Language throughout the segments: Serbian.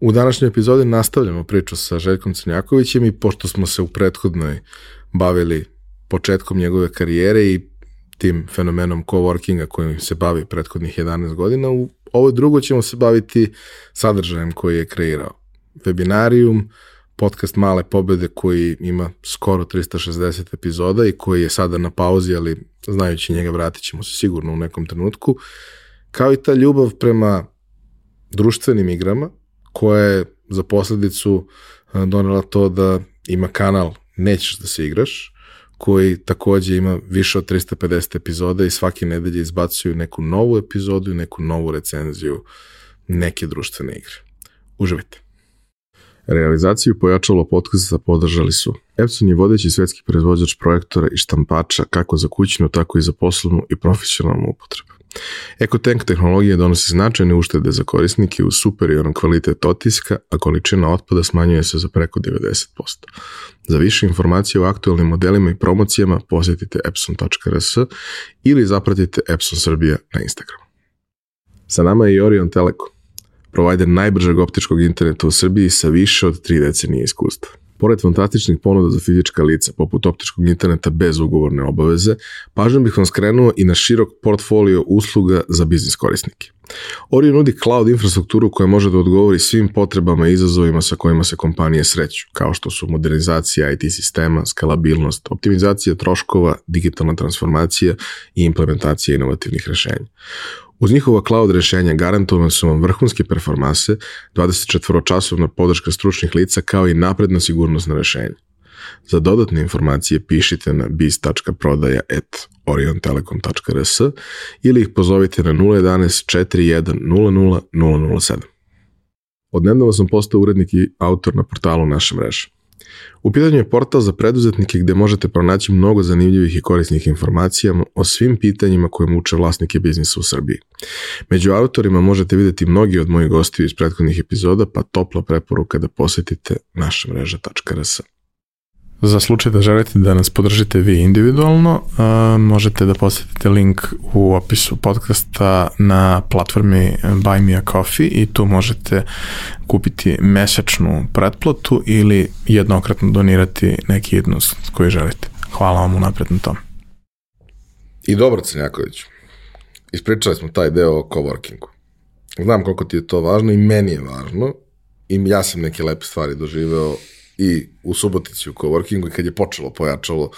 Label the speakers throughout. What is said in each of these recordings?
Speaker 1: U današnjoj epizodi nastavljamo priču sa Željkom Crnjakovićem i pošto smo se u prethodnoj bavili početkom njegove karijere i tim fenomenom coworkinga kojim se bavi prethodnih 11 godina, u ovoj drugoj ćemo se baviti sadržajem koji je kreirao. Webinarijum, podcast Male pobede koji ima skoro 360 epizoda i koji je sada na pauzi, ali znajući njega vratit ćemo se sigurno u nekom trenutku, kao i ta ljubav prema društvenim igrama koja je za posljedicu donela to da ima kanal Nećeš da se igraš, koji također ima više od 350 epizoda i svake nedelje izbacuju neku novu epizodu i neku novu recenziju neke društvene igre. Uživajte. Realizaciju pojačalo podcasta podržali su Epson je vodeći svetski proizvođač projektora i štampača kako za kućnu, tako i za poslovnu i profesionalnu upotrebu. EcoTank tehnologija donosi značajne uštede za korisnike uz superioran kvalitet otiska, a količina otpada smanjuje se za preko 90%. Za više informacije o aktualnim modelima i promocijama posjetite epson.rs ili zapratite Epson Srbija na Instagramu. Sa nama je i Orion Telekom, provider najbržeg optičkog interneta u Srbiji sa više od 3 decenije iskustva. Pored fantastičnih ponuda za fizička lica, poput optičkog interneta bez ugovorne obaveze, pažnjom bih vam skrenuo i na širok portfolio usluga za biznis korisnike. Orion nudi cloud infrastrukturu koja može da odgovori svim potrebama i izazovima sa kojima se kompanije sreću, kao što su modernizacija IT sistema, skalabilnost, optimizacija troškova, digitalna transformacija i implementacija inovativnih rešenja. Uz njihova cloud rešenja garantovane su vam vrhunske performanse, 24-časovna podrška stručnih lica kao i napredna sigurnosna rešenja. Za dodatne informacije pišite na biz.prodaja@oriontelekom.rs ili ih pozovite na 011 41 00 007. Odnedavno sam postao urednik i autor na portalu Naša mreža. U pitanju je portal za preduzetnike gde možete pronaći mnogo zanimljivih i korisnih informacija o svim pitanjima koje muče vlasnike biznisa u Srbiji. Među autorima možete vidjeti mnogi od mojih gostiju iz prethodnih epizoda, pa topla preporuka da posjetite našamreža.rs. Za slučaj da želite da nas podržite vi individualno, možete da posjetite link u opisu podcasta na platformi Buy Me a Coffee i tu možete kupiti mesečnu pretplatu ili jednokratno donirati neki iznos koji želite. Hvala vam unapred na tom. I dobro, Crnjaković, ispričali smo taj deo o coworkingu. Znam koliko ti je to važno i meni je važno i ja sam neke lepe stvari doživeo i u Subotici u coworkingu i kad je počelo pojačalo,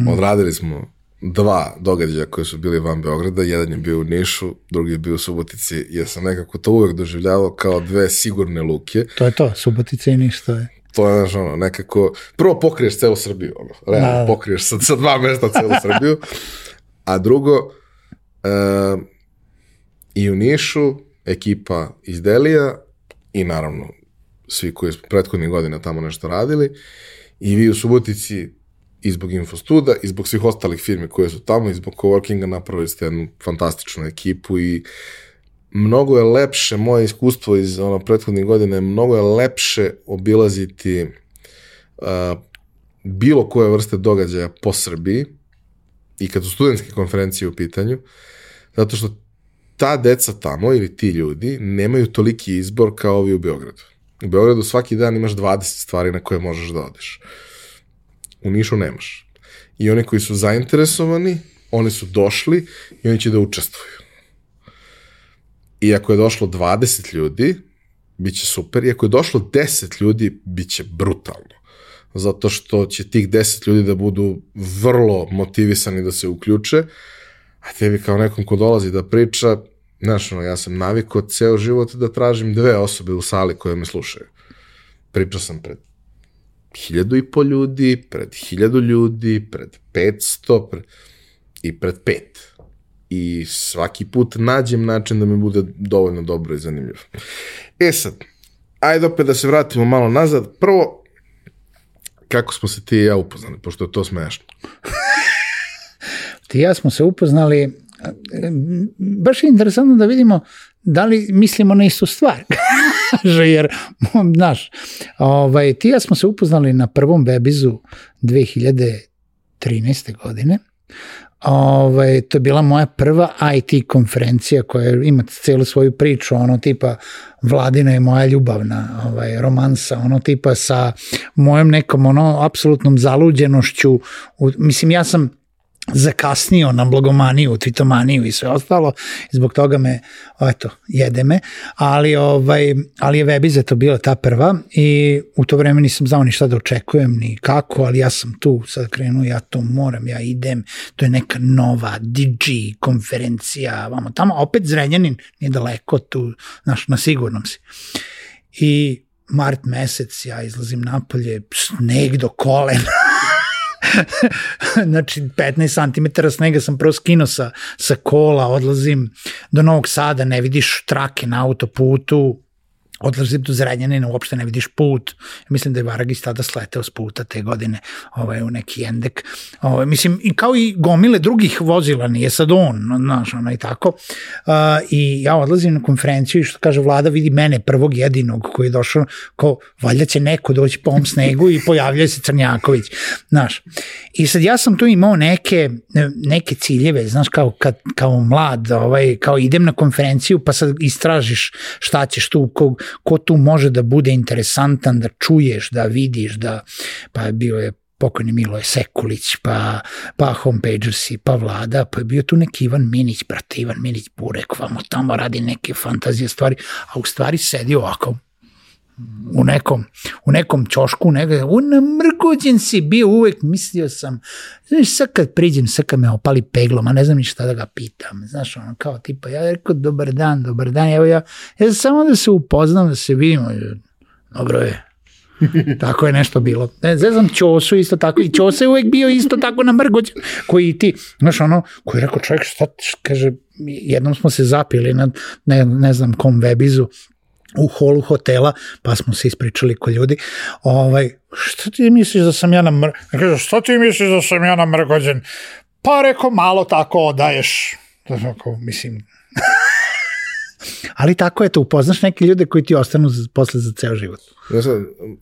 Speaker 1: odradili smo 2 događaja koje su bili van Beograda, jedan je bio u Nišu, drugi je bio u Subotici, jer sam nekako to uvek doživljavao kao 2 sigurne luke. To je to, Subotica i Niš, to je. To je nekako, prvo pokriješ celu Srbiju, realno pokriješ sa 2 mesta celu Srbiju, a drugo, i u Nišu ekipa iz Delija i naravno svi koji su prethodnih godina tamo nešto radili i vi u Subotici i zbog Infostuda i zbog svih ostalih firmi koje su tamo i zbog coworkinga napravili ste jednu fantastičnu ekipu i mnogo je lepše, moje iskustvo iz prethodnih godina, mnogo je lepše obilaziti bilo koje vrste događaja po Srbiji i kad su studentske konferencije u pitanju, zato što ta deca tamo ili ti ljudi nemaju toliki izbor kao ovi u Beogradu. U Beogradu svaki dan imaš 20 stvari na koje možeš da odeš. U Nišu nemaš. I oni koji su zainteresovani, oni su došli i oni će da učestvuju. I ako je došlo 20 ljudi, bit će super. I ako je došlo 10 ljudi, bit će brutalno. Zato što će tih 10 ljudi da budu vrlo motivisani da se uključe, a tebi kao nekom ko dolazi da priča, znaš, ja sam navikao ceo život da tražim 2 osobe u sali koje me slušaju. Pričao sam pred 1.500 ljudi, pred 1.000 ljudi, pred 500 i pred 5. I svaki put nađem način da mi bude dovoljno dobro i zanimljivo. Sad, ajde opet da se vratimo malo nazad. Prvo, kako smo se ti i ja upoznali, pošto je to smešno.
Speaker 2: Ti i ja smo se upoznali, baš je interesantno da vidimo da li mislimo na istu stvar. Jer, znaš, ti i ja smo se upoznali na prvom Webizu 2013. godine To je bila moja prva IT konferencija koja ima celu svoju priču, ono tipa Vladina je moja ljubavna romansa, ono tipa sa mojom nekom apsolutnom zaluđenošću. Mislim, ja sam zakasnio na blogomaniju, tvitomaniju i sve ostalo, zbog toga me, jede me, ali je Webiza to bila ta prva i u to vreme nisam znao ni šta da očekujem, ni kako, ali ja sam tu sad krenuo, ja to moram, ja idem, to je neka nova DG konferencija, tamo opet Zrenjanin, nije daleko tu, znaš, na sigurnom si. I mart mesec, ja izlazim napolje, sneg do kolena, znači 15 cm snega sam prvo skinuo sa kola, odlazim do Novog Sada, ne vidiš trake na autoputu, odlazim do Zrenjanina, uopšte ne vidiš put. Mislim da je Varagis tada sleteo s puta te godine u neki Endek. Mislim, i kao i gomile drugih vozila, nije sad on, znaš, i tako. I ja odlazim na konferenciju i što kaže Vlada, vidi mene prvog jedinog koji je došao, kao valjda će neko doći po ovom snegu i pojavljaju se Crnjaković, znaš. I sad ja sam tu imao neke ciljeve, znaš, kao mlad, kao idem na konferenciju pa sad istražiš šta ćeš tu, ko tu može da bude interesantan, da čuješ, da vidiš, pa bio je pokojni Miloje Sekulić, pa Homepagersi, pa Vlada, pa je bio tu neki Ivan Minić, brate, Ivan Minić Burek, vamo tamo radi neke fantazije stvari, a u stvari sedi ovako, u nekom ćošku, namrgođen si bio uvek, mislio sam, znaš, sad kad priđem, sad kad me opali peglom, a ne znam ni šta da ga pitam, znaš, ono, kao tipa, ja rekao, dobar dan, evo ja samo da se upoznam, da se vidimo, dobro je, tako je nešto bilo. Zezam Ćosu isto tako, i Ćosa je uvek bio isto tako namrgođen, koji i ti, znaš, ono, koji je rekao, čovjek, šta, kaže, jednom smo se zapili na ne znam kom Webizu, u holu hotela, pa smo se ispričali ko ljudi, šta ti misliš da sam ja namrgođen? Pa rekao, malo tako odaješ. Mislim, ali tako je to, upoznaš neke ljude koji ti ostanu posle za ceo život.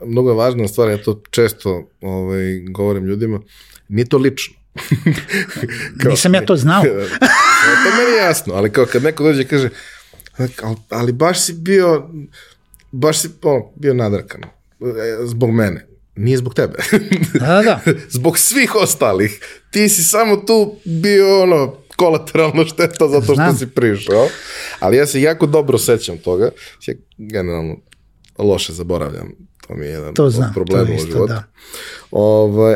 Speaker 1: Mnogo je važna stvar, ja to često govorim ljudima, nije to lično.
Speaker 2: Nisam ja to znao.
Speaker 1: To meni je jasno, ali kao kad neko dođe i kaže, ali baš si bio nadrkan zbog mene, nije zbog tebe.
Speaker 2: Da.
Speaker 1: Zbog svih ostalih, ti si samo tu bio kolateralno šteta zato što si prišao, ali ja se jako dobro sećam toga, ja generalno loše zaboravljam, to mi je jedan od problema u životu,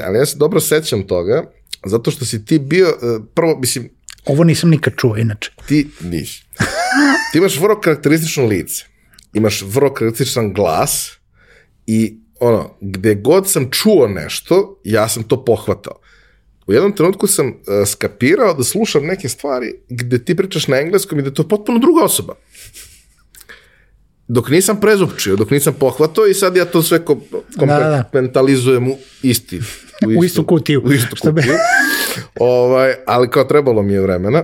Speaker 1: ali ja se dobro sećam toga zato što si ti bio, prvo, mislim,
Speaker 2: ovo nisam nikad čuo inače.
Speaker 1: Ti nisi. Ti imaš vrlo karakteristično lice, imaš vrlo karakterističan glas i gde god sam čuo nešto, ja sam to pohvatao. U jednom trenutku sam skapirao da slušam neke stvari gde ti pričaš na engleskom i da je to potpuno druga osoba. Dok nisam prezupčio, dok nisam pohvatao i sad ja to sve kompartmentalizujem u istu kutiju. Ali kao trebalo mi je vremena.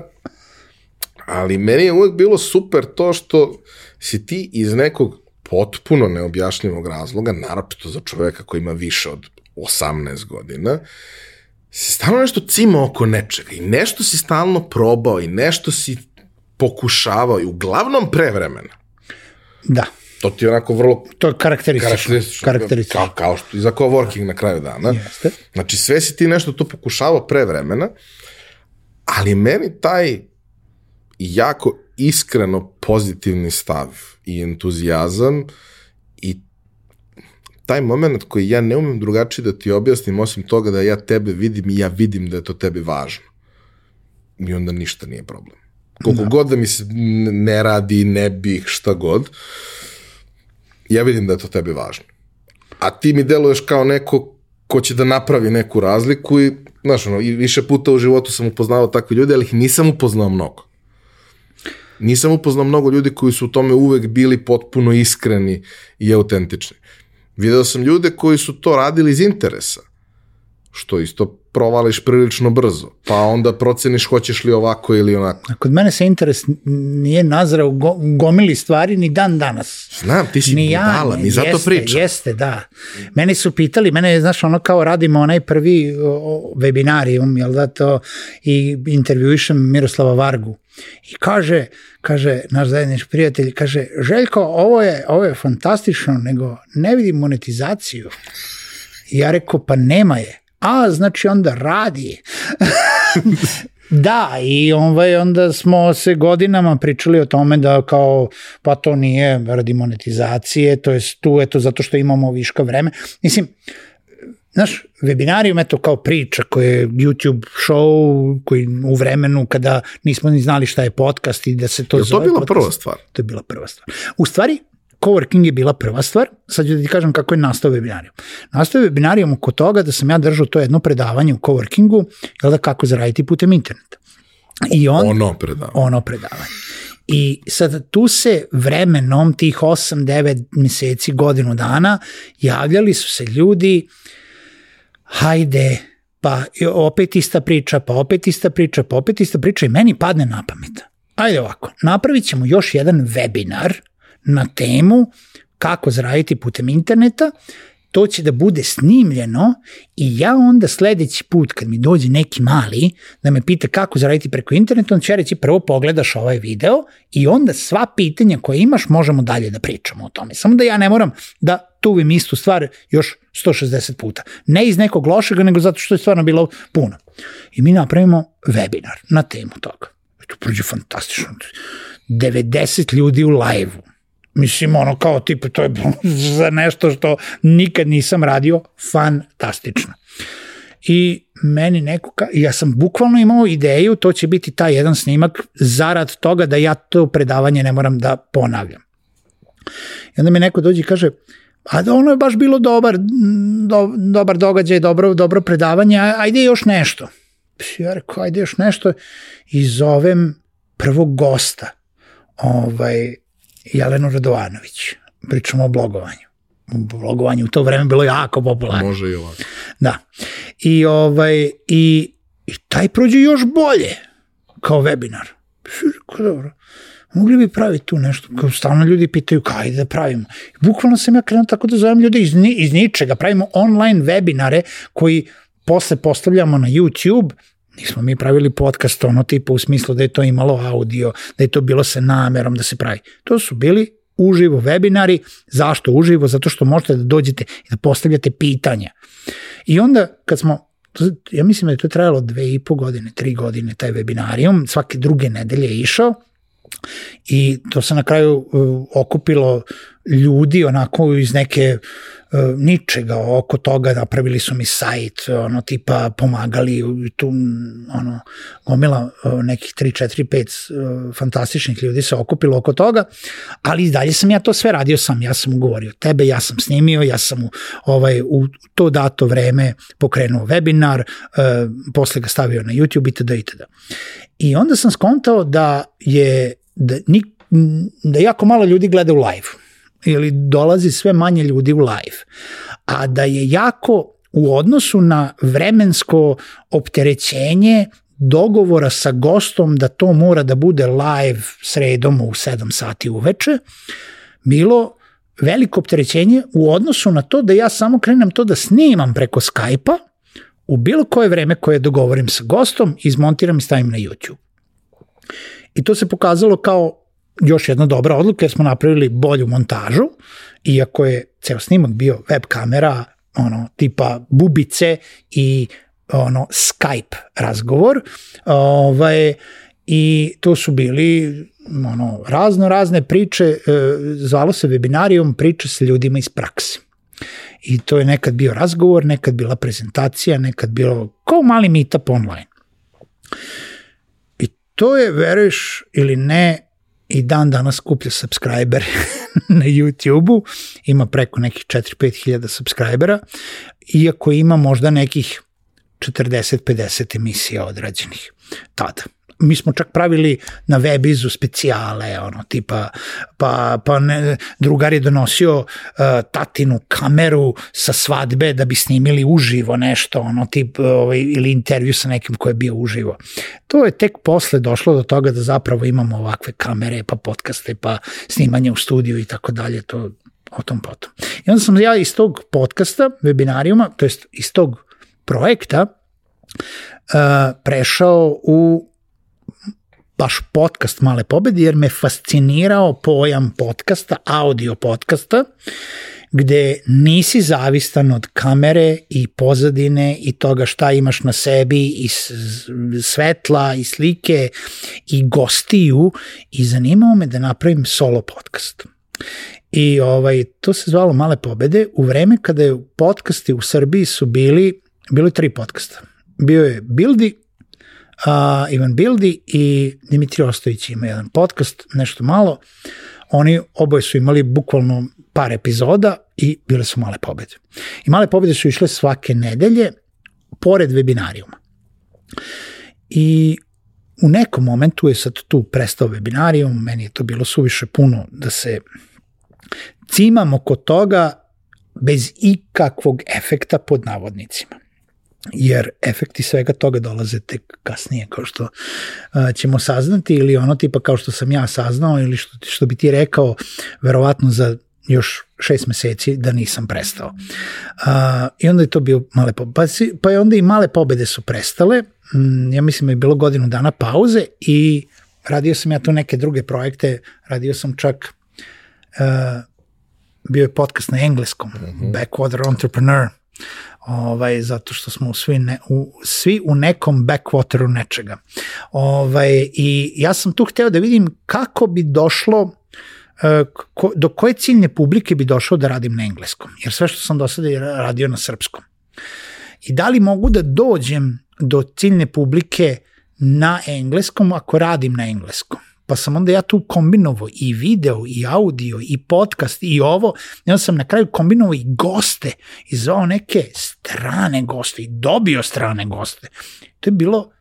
Speaker 1: Ali meni je uvek bilo super to što si ti iz nekog potpuno neobjašnjivog razloga, naročito za čoveka koji ima više od 18 godina, si stalno nešto cimao oko nečega i nešto si stalno probao i nešto si pokušavao i uglavnom pre vremena.
Speaker 2: Da.
Speaker 1: To ti je onako vrlo...
Speaker 2: To je karakteristično.
Speaker 1: Kao što i za coworking na kraju dana.
Speaker 2: Jeste.
Speaker 1: Znači sve si ti nešto to pokušavao pre vremena, ali meni taj jako iskreno pozitivni stav i entuzijazam i taj moment koji ja ne umem drugačije da ti objasnim osim toga da ja tebe vidim i ja vidim da je to tebi važno. I onda ništa nije problem. Koliko god da mi se ne radi, ne bih, šta god, ja vidim da je to tebi važno. A ti mi deluješ kao neko ko će da napravi neku razliku i, znaš, i više puta u životu sam upoznao takve ljude, ali ih nisam upoznao mnogo. Nisam upoznao mnogo ljudi koji su u tome uvek bili potpuno iskreni i autentični. Video sam ljude koji su to radili iz interesa, što isto provališ prilično brzo, pa onda proceniš hoćeš li ovako ili onako.
Speaker 2: Kod mene se interes nije nazrao gomili stvari ni dan danas.
Speaker 1: Znam, ti si budala, mi zato pričam.
Speaker 2: Jeste, da. Meni su pitali, znaš, ono kao radimo onaj prvi webinarijum, jel da to, i intervjuišem Miroslava Vargu. I kaže naš zajednički prijatelj, kaže, Željko, ovo je fantastično, nego ne vidim monetizaciju. I ja rekao, pa nema je. Znači onda radi. Da, i onda smo se godinama pričali o tome da kao, pa to nije radi monetizacije, to je tu, eto, zato što imamo viška vreme. Mislim, znaš, webinarijum, eto, kao priča koji je YouTube show, koji u vremenu kada nismo ni znali šta je podcast i da se to zove.
Speaker 1: Je to bila prva stvar?
Speaker 2: To je bila prva stvar. U stvari, coworking je bila prva stvar, sad ću da ti kažem kako je nastao webinarijum. Nastao je webinarijum oko toga da sam ja držao to jedno predavanje u coworkingu, jel da, kako zaraditi putem interneta. I ono predavanje. I sad tu se vremenom tih 8-9 meseci, godinu dana, javljali su se ljudi, hajde, pa opet ista priča, pa opet ista priča, pa opet ista priča i meni padne na pamet. Ajde ovako, napravit ćemo još jedan webinar na temu kako zaraditi putem interneta, to će da bude snimljeno i ja onda sledeći put kad mi dođe neki mali da me pita kako zaraditi preko interneta, on će reći prvo pogledaš ovaj video i onda sva pitanja koje imaš možemo dalje da pričamo o tome. Samo da ja ne moram da tuvim istu stvar još 160 puta. Ne iz nekog lošega, nego zato što je stvarno bilo puno. I mi napravimo webinar na temu toga. To prođe fantastično. 90 ljudi u live-u. Mislim, ono kao tipa, to je za nešto što nikad nisam radio, fantastično. I meni ja sam bukvalno imao ideju, to će biti taj jedan snimak zarad toga da ja to predavanje ne moram da ponavljam. I onda mi neko dođe i kaže, a da ono je baš bilo dobar događaj, dobro predavanje, ajde još nešto. Ja rekao, ajde još nešto i zovem prvog gosta, Jelenu Radovanović. Pričamo o blogovanju. Blogovanje u to vreme bilo jako popularno.
Speaker 1: Može i ovako.
Speaker 2: Da. I taj prođe još bolje kao webinar. Dobro. Mogli bi praviti tu nešto. Kao stalno ljudi pitaju kaj da pravimo. Bukvalno sam ja krenuo tako da zovem ljude iz ničega. Pravimo online webinare koji posle postavljamo na YouTube. Nismo mi pravili podcast tipa u smislu da je to imalo audio, da je to bilo sa namerom da se pravi. To su bili uživo webinari. Zašto uživo? Zato što možete da dođete i da postavljate pitanja. I onda kad smo, ja mislim da je to trajalo 2,5 godine, 3 godine taj webinarijum, svake druge nedelje je išao i to se na kraju okupilo ljudi onako iz neke ničega oko toga, napravili su mi sajt, tipa pomagali tu, gomila nekih 3, 4, 5 fantastičnih ljudi se okupilo oko toga, ali i dalje sam ja to sve radio sam, ja sam ugovorio tebe, ja sam snimio, ja sam u to dato vreme pokrenuo webinar, posle ga stavio na YouTube itd. I onda sam skontao da jako malo ljudi gleda u live ili dolazi sve manje ljudi u live, a da je jako u odnosu na vremensko opterećenje dogovora sa gostom da to mora da bude live sredom u 7 sati uveče, bilo veliko opterećenje u odnosu na to da ja samo krenem to da snimam preko Skype-a u bilo koje vreme koje dogovorim sa gostom, izmontiram i stavim na YouTube. I to se pokazalo kao još jedna dobra odluka jer smo napravili bolju montažu, iako je ceo snimak bio web kamera, tipa bubice i Skype razgovor, i to su bili razne priče, zvalo se webinarijum priče sa ljudima iz prakse. I to je nekad bio razgovor, nekad bila prezentacija, nekad bilo kao mali meetup online. I to je, veruješ ili ne, i dan danas skuplja subscriber na YouTube-u, ima preko nekih 4-5 hiljada subscribera, iako ima možda nekih 40-50 emisija odrađenih tada. mi smo čak pravili na Webizu specijale, tipa, drugar je donosio tatinu kameru sa svadbe da bi snimili uživo nešto, ili intervju sa nekim ko je bio uživo. To je tek posle došlo do toga da zapravo imamo ovakve kamere, pa podcaste, pa snimanje u studiju i tako dalje, to o tom potom. I onda sam ja iz tog podcasta, webinarijuma, to jest iz tog projekta, prešao u baš podcast Male pobede, jer me fascinirao pojam podcasta, audio podcasta, gde nisi zavistan od kamere i pozadine i toga šta imaš na sebi i svetla i slike i gostiju, i zanimao me da napravim solo podcast. I to se zvalo Male pobede u vreme kada je podcasti u Srbiji su bilo je 3 podcasta. Bio je Bildi, Ivan Bildi i Dimitri Ostojić ima jedan podcast, nešto malo. Oni oboje su imali bukvalno par epizoda i bile su Male pobede. I Male pobede su išle svake nedelje pored webinarijuma. I u nekom momentu je sad tu prestao webinarijum, meni je to bilo suviše puno da se cimam oko toga bez ikakvog efekta pod navodnicima. Jer efekti svega toga dolaze tek kasnije, kao što ćemo saznati, ili tipa kao što sam ja saznao, ili što bi ti rekao, verovatno za još 6 meseci da nisam prestao. I onda je to bio Male pobede. Pa je onda i Male pobede su prestale, ja mislim da je bilo godinu dana pauze i radio sam ja tu neke druge projekte, radio sam čak, bio je podcast na engleskom, Backwater Entrepreneur, zato što smo svi u nekom backwateru nečega. I ja sam tu hteo da vidim kako bi došlo, do koje ciljne publike bi došao da radim na engleskom, jer sve što sam do sada je radio na srpskom. I da li mogu da dođem do ciljne publike na engleskom ako radim na engleskom? Pa sam onda ja tu kombinovao i video, i audio, i podcast, i ovo. I onda sam na kraju kombinovao i goste, i zvao neke strane goste, i dobio strane goste. To je bilo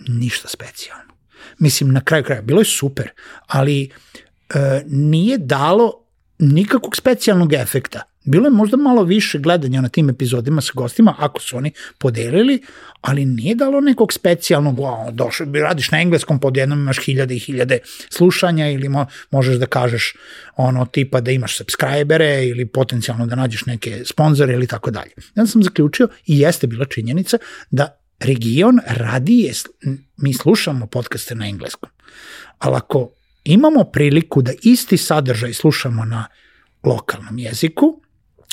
Speaker 2: ništa specijalno. Mislim, na kraju kraja, bilo je super, ali nije dalo nikakvog specijalnog efekta. Bilo je možda malo više gledanja na tim epizodima sa gostima, ako su oni podelili, ali nije dalo nekog specijalnog, došao, radiš na engleskom, pod jednom imaš 1000 i 1000 slušanja, ili možeš da kažeš tipa da imaš subscribere, ili potencijalno da nađeš neke sponzore, ili tako dalje. Ja sam zaključio, i jeste bila činjenica, da region radije, mi slušamo podcaste na engleskom, ali ako imamo priliku da isti sadržaj slušamo na lokalnom jeziku,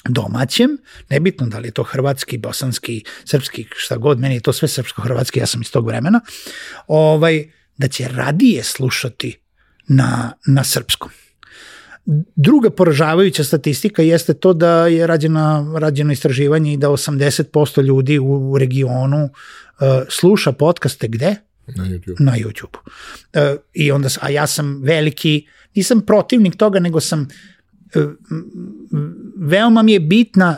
Speaker 2: domaćem, nebitno da li je to hrvatski, bosanski, srpski, šta god, meni je to sve srpsko-hrvatski, ja sam iz tog vremena, da će radije slušati na srpskom. Druga poražavajuća statistika jeste to da je rađeno istraživanje i da 80% ljudi u regionu sluša podcaste gde? Na YouTube. I onda, a ja sam veliki, nisam protivnik toga, nego sam veoma mi je bitna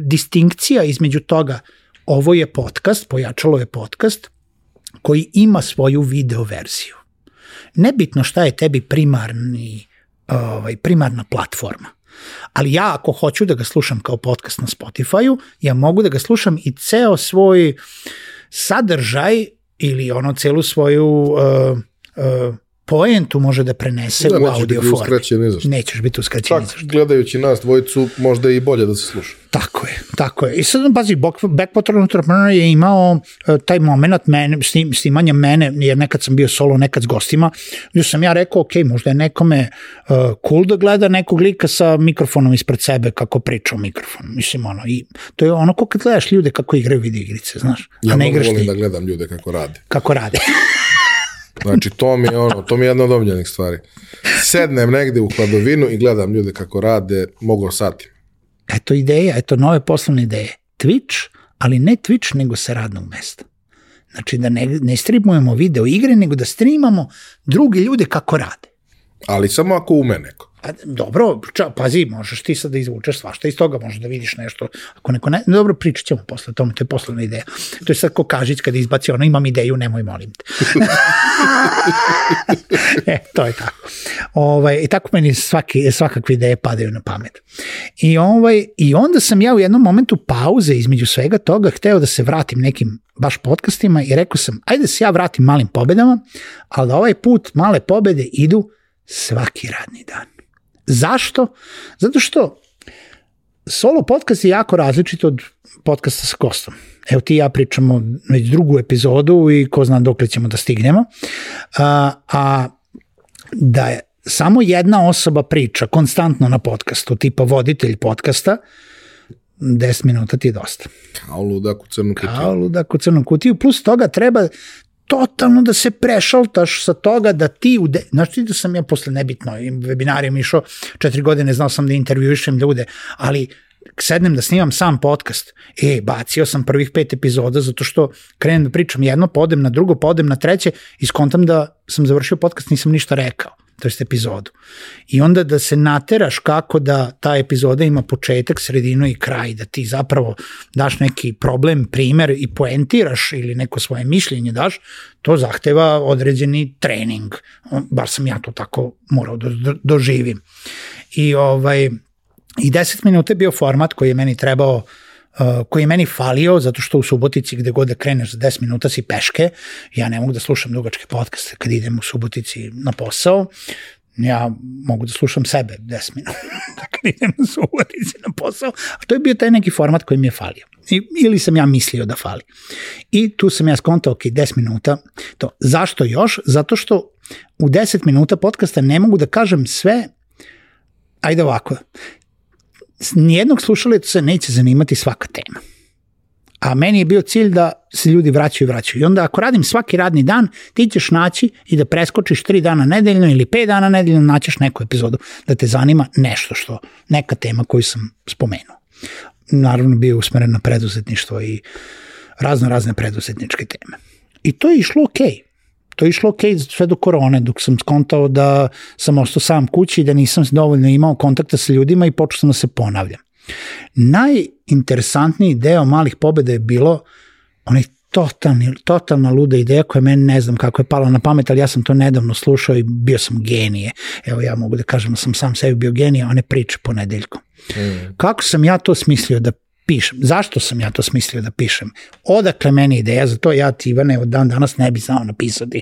Speaker 2: distinkcija između toga, ovo je podcast, Pojačalo je podcast koji ima svoju video verziju. Nebitno šta je tebi primarna platforma, ali ja ako hoću da ga slušam kao podcast na Spotify-u, ja mogu da ga slušam i ceo svoj sadržaj ili celu svoju poentu može da prenese u audio formi. Nećeš biti uskraćen.
Speaker 1: Čak gledajući nas dvojicu možda i bolje da se sluša.
Speaker 2: Tako je. I sad pazi, Backwater Entrepreneur je imao taj moment snimanja mene, jer nekad sam bio solo, nekad s gostima, gdje sam ja rekao, ok, možda je nekome cool da gleda nekog lika sa mikrofonom ispred sebe kako priča u mikrofonu. Mislim, i to je ko kad gledaš ljude kako igraju video igrice, znaš.
Speaker 1: Ja mnogo volim da gledam ljude kako rade. Znači, to mi je jedna od omiljenih stvari. Sednem negde u hladovinu i gledam ljude kako rade, mogu satima.
Speaker 2: Eto ideja, nove poslovne ideje. Twitch, ali ne Twitch, nego sa radnog mesta. Znači, da ne streamujemo video igre, nego da streamamo druge ljude kako rade.
Speaker 1: Ali samo ako ume neko.
Speaker 2: Dobro, pazi, možeš ti sad da izvučeš svašta iz toga, možeš da vidiš nešto, ako neko ne, dobro, pričat ćemo posle tome, to je poslovna ideja. To je sad ko Kažić kada izbaci ono, imam ideju, nemoj, molim te. To je tako. I tako meni svakakve ideje padaju na pamet. I onda sam ja u jednom momentu pauze između svega toga hteo da se vratim nekim baš podcastima i rekao sam, ajde da se ja vratim malim pobedama, ali da ovaj put male pobede idu svaki radni dan. Zašto? Zato što solo podcast je jako različit od podcasta sa gostom. Evo ti i ja pričamo već drugu epizodu i ko zna dokle ćemo da stignemo. A da je samo jedna osoba priča konstantno na podcastu, tipa voditelj podcasta, 10 minuta ti je dosta.
Speaker 1: Kao ludak u crnu kutiju.
Speaker 2: Kao ludak u crnu kutiju. Plus toga treba totalno da se prešaltaš sa toga da ti, znaš ti da sam ja posle nebitno webinarijom išao 4 godine, znao sam da intervjuišem ljude, ali sednem da snimam sam podcast, bacio sam prvih 5 epizoda zato što krenem da pričam jedno, podem na drugo, podem na treće i skontam da sam završio podcast, nisam ništa rekao, to jest epizodu. I onda da se nateraš kako da ta epizoda ima početak, sredinu i kraj, da ti zapravo daš neki problem, primer i poentiraš ili neko svoje mišljenje daš, to zahteva određeni trening. Bar sam ja to tako morao da doživim. I 10 minuta je bio format koji je meni trebao, koji je meni falio, zato što u Subotici gde god da kreneš za 10 minuta si peške, ja ne mogu da slušam dugačke podcaste kad idem u Subotici na posao, ja mogu da slušam sebe 10 minuta kad idem u Subotici na posao, a to je bio taj neki format koji mi je falio. Ili sam ja mislio da fali. I tu sam ja skontao, 10 minuta, to. Zašto još? Zato što u 10 minuta podcasta ne mogu da kažem sve, ajde ovako, nijednog slušalca se neće zanimati svaka tema. A meni je bio cilj da se ljudi vraćaju. I onda ako radim svaki radni dan, ti ćeš naći i da preskočiš 3 dana nedeljno ili 5 dana nedeljno, naćeš neku epizodu da te zanima nešto neka tema koju sam spomenuo. Naravno bio usmeren na preduzetništvo i razne preduzetničke teme. I to je išlo okej. To je išlo okej sve do korone, dok sam skontao da sam ostao sam kući i da nisam dovoljno imao kontakta sa ljudima i počeo sam da se ponavljam. Najinteresantniji deo malih pobjeda je bilo onaj totalna luda ideja koja meni ne znam kako je pala na pamet, ali ja sam to nedavno slušao i bio sam genije. Evo ja mogu da kažem da sam sam sebi bio genije, one priče ponedeljkom. Kako sam ja to smislio da pišem? Zašto sam ja to smislio da pišem? Odakle meni ideja? Zato ja ti, Ivane, od dan danas ne bi znao napisati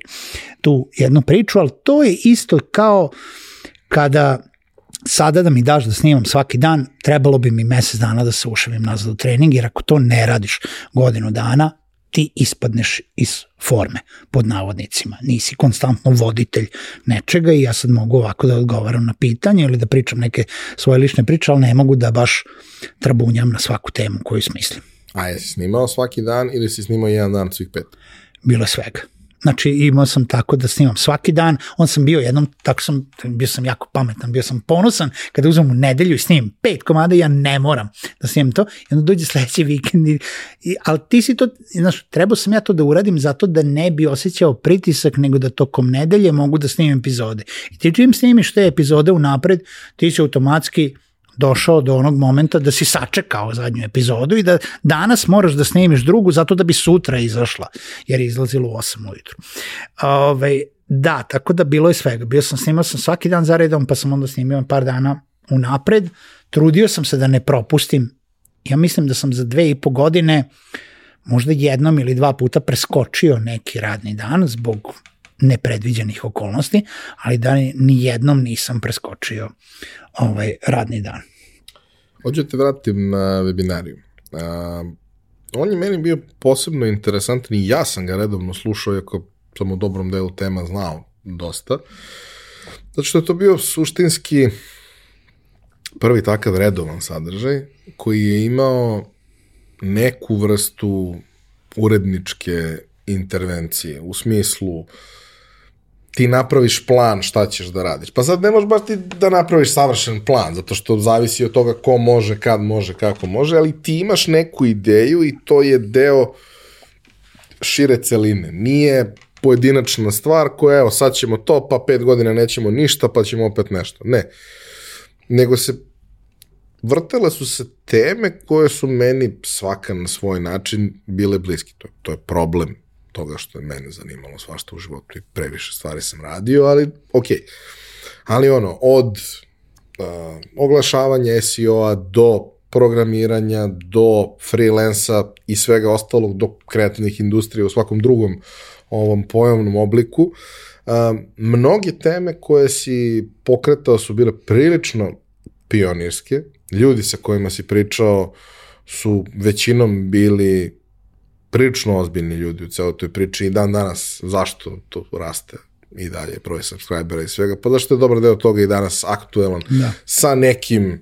Speaker 2: tu jednu priču, ali to je isto kao kada sada da mi daš da snimam svaki dan, trebalo bi mi mesec dana da se ušavim nazad u trening, jer ako to ne radiš godinu dana, ti ispadneš iz forme, pod navodnicima. Nisi konstantno voditelj nečega i ja sad mogu ovako da odgovaram na pitanje ili da pričam neke svoje lične priče, ali ne mogu da baš trabunjam na svaku temu koju smislim.
Speaker 1: A jesi snimao svaki dan ili si snimao jedan dan svih 5?
Speaker 2: Bilo je svega. Znači imao sam tako da snimam svaki dan, on sam bio jednom, bio sam jako pametan, bio sam ponosan kada uzmem u nedelju i snimim 5 komada i ja ne moram da snimam to i onda dođe sledeći vikend, ali ti si to, znaš, trebao sam ja to da uradim zato da ne bi osjećao pritisak, nego da tokom nedelje mogu da snimim epizode. I ti čim snimiš te epizode unapred, ti si automatski došao do onog momenta da si sačekao zadnju epizodu i da danas moraš da snimiš drugu zato da bi sutra izašla, jer je izlazilo u 8 ujutru. Da, tako da bilo je svega. Snimao sam svaki dan za redom, pa sam onda snimio par dana unapred. Trudio sam se da ne propustim. Ja mislim da sam za 2,5 godine možda jednom ili 2 puta preskočio neki radni dan zbog nepredviđenih okolnosti, ali da ni jednom nisam preskočio radni dan.
Speaker 1: Hoću te vratim na webinariju. On je meni bio posebno interesantan i ja sam ga redovno slušao, iako sam u dobrom delu tema znao dosta. Zato što je to bio suštinski prvi takav redovan sadržaj koji je imao neku vrstu uredničke intervencije, u smislu ti napraviš plan šta ćeš da radiš. Pa sad ne možeš baš ti da napraviš savršen plan, zato što zavisi od toga ko može, kad može, kako može, ali ti imaš neku ideju i to je deo šire celine. Nije pojedinačna stvar koja, evo, sad ćemo to, pa 5 godina nećemo ništa, pa ćemo opet nešto. Ne. Nego vrtele su se teme koje su meni svaka na svoj način bile bliski. To je problem toga što je mene zanimalo svašta u životu i previše stvari sam radio, ali okej. Ali od oglašavanja SEO-a do programiranja, do freelansa i svega ostalog, do kreativnih industrija u svakom drugom ovom pojavnom obliku. Mnoge teme koje si pokretao su bile prilično pionirske. Ljudi sa kojima si pričao su većinom bili prilično ozbiljni ljudi u celoj toj priči i dan danas zašto to raste i dalje broj subscribera i svega, pa zašto je dobar deo toga i danas aktuelan sa nekim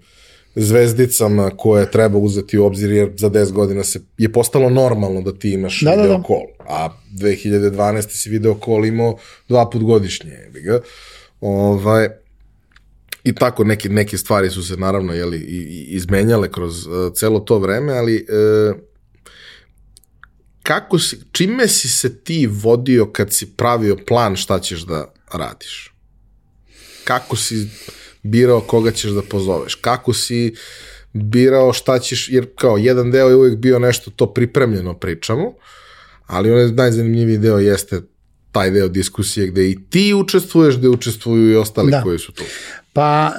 Speaker 1: zvezdicama koje treba uzeti u obzir, jer za 10 godina je postalo normalno da ti imaš video call, a 2012. si video call imao 2 put godišnje. I tako neke stvari su se naravno izmenjale kroz celo to vreme, ali čime si se ti vodio kad si pravio plan šta ćeš da radiš? Kako si birao koga ćeš da pozoveš? Kako si birao šta ćeš, jer kao jedan deo je uvijek bio nešto to pripremljeno pričamo, ali onaj najzanimljiviji deo jeste taj deo diskusije gde i ti učestvuješ, gde učestvuju i ostali koji su tu.
Speaker 2: Pa,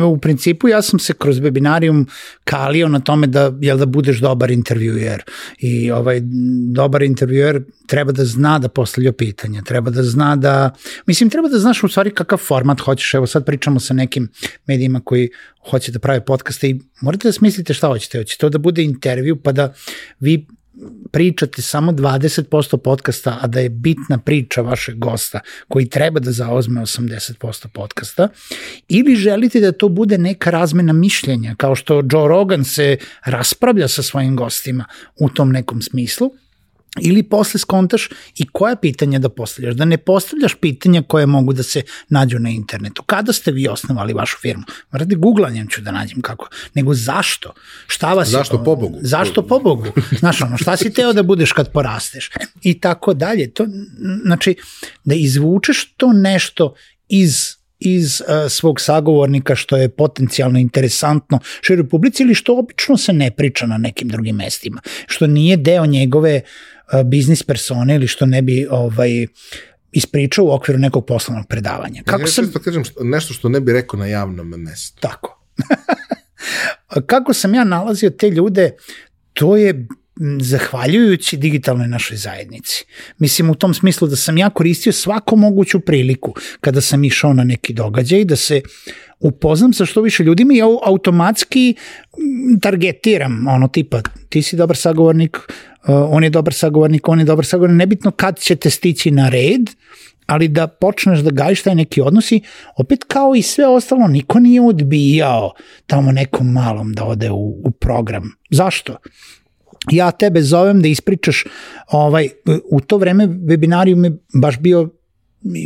Speaker 2: u principu ja sam se kroz webinarijum kalio na tome da budeš dobar intervjuer i dobar intervjuer treba da zna da postavlja pitanja, treba da zna treba da znaš u stvari kakav format hoćeš. Evo sad pričamo sa nekim medijima koji hoće da prave podcaste i morate da smislite šta hoćete. Hoće to da bude intervju pa da vi pričate samo 20% podcasta, a da je bitna priča vašeg gosta koji treba da zauzme 80% podcasta, ili želite da to bude neka razmena mišljenja, kao što Joe Rogan se raspravlja sa svojim gostima u tom nekom smislu, ili posle skontaš i koja pitanja da postavljaš, da ne postavljaš pitanja koje mogu da se nađu na internetu. Kada ste vi osnovali vašu firmu? Radi googlanjem ću da nađem kako. Nego zašto? Šta vas
Speaker 1: zašto pobogu?
Speaker 2: Zašto pobogu? Znaš, šta si teo da budeš kad porasteš? I tako dalje. Znači, da izvučeš to nešto iz svog sagovornika što je potencijalno interesantno široj publici ili što obično se ne priča na nekim drugim mestima, što nije deo njegove biznis persone ili što ne bi ispričao u okviru nekog poslovnog predavanja.
Speaker 1: Kažem nešto što ne bi rekao na javnom mestu.
Speaker 2: Tako. Kako sam ja nalazio te ljude, to je zahvaljujući digitalnoj našoj zajednici. Mislim u tom smislu da sam ja koristio svaku moguću priliku kada sam išao na neki događaj da se upoznam sa što više ljudima i ja automatski targetiram tipa ti si dobar sagovornik, on je dobar sagovornik, nebitno kad ćete stići na red, ali da počneš da gajiš taj neki odnosi, opet kao i sve ostalo, niko nije odbijao tamo nekom malom da ode u program. Zašto? Ja tebe zovem da ispričaš, u to vreme webinarijum je baš bio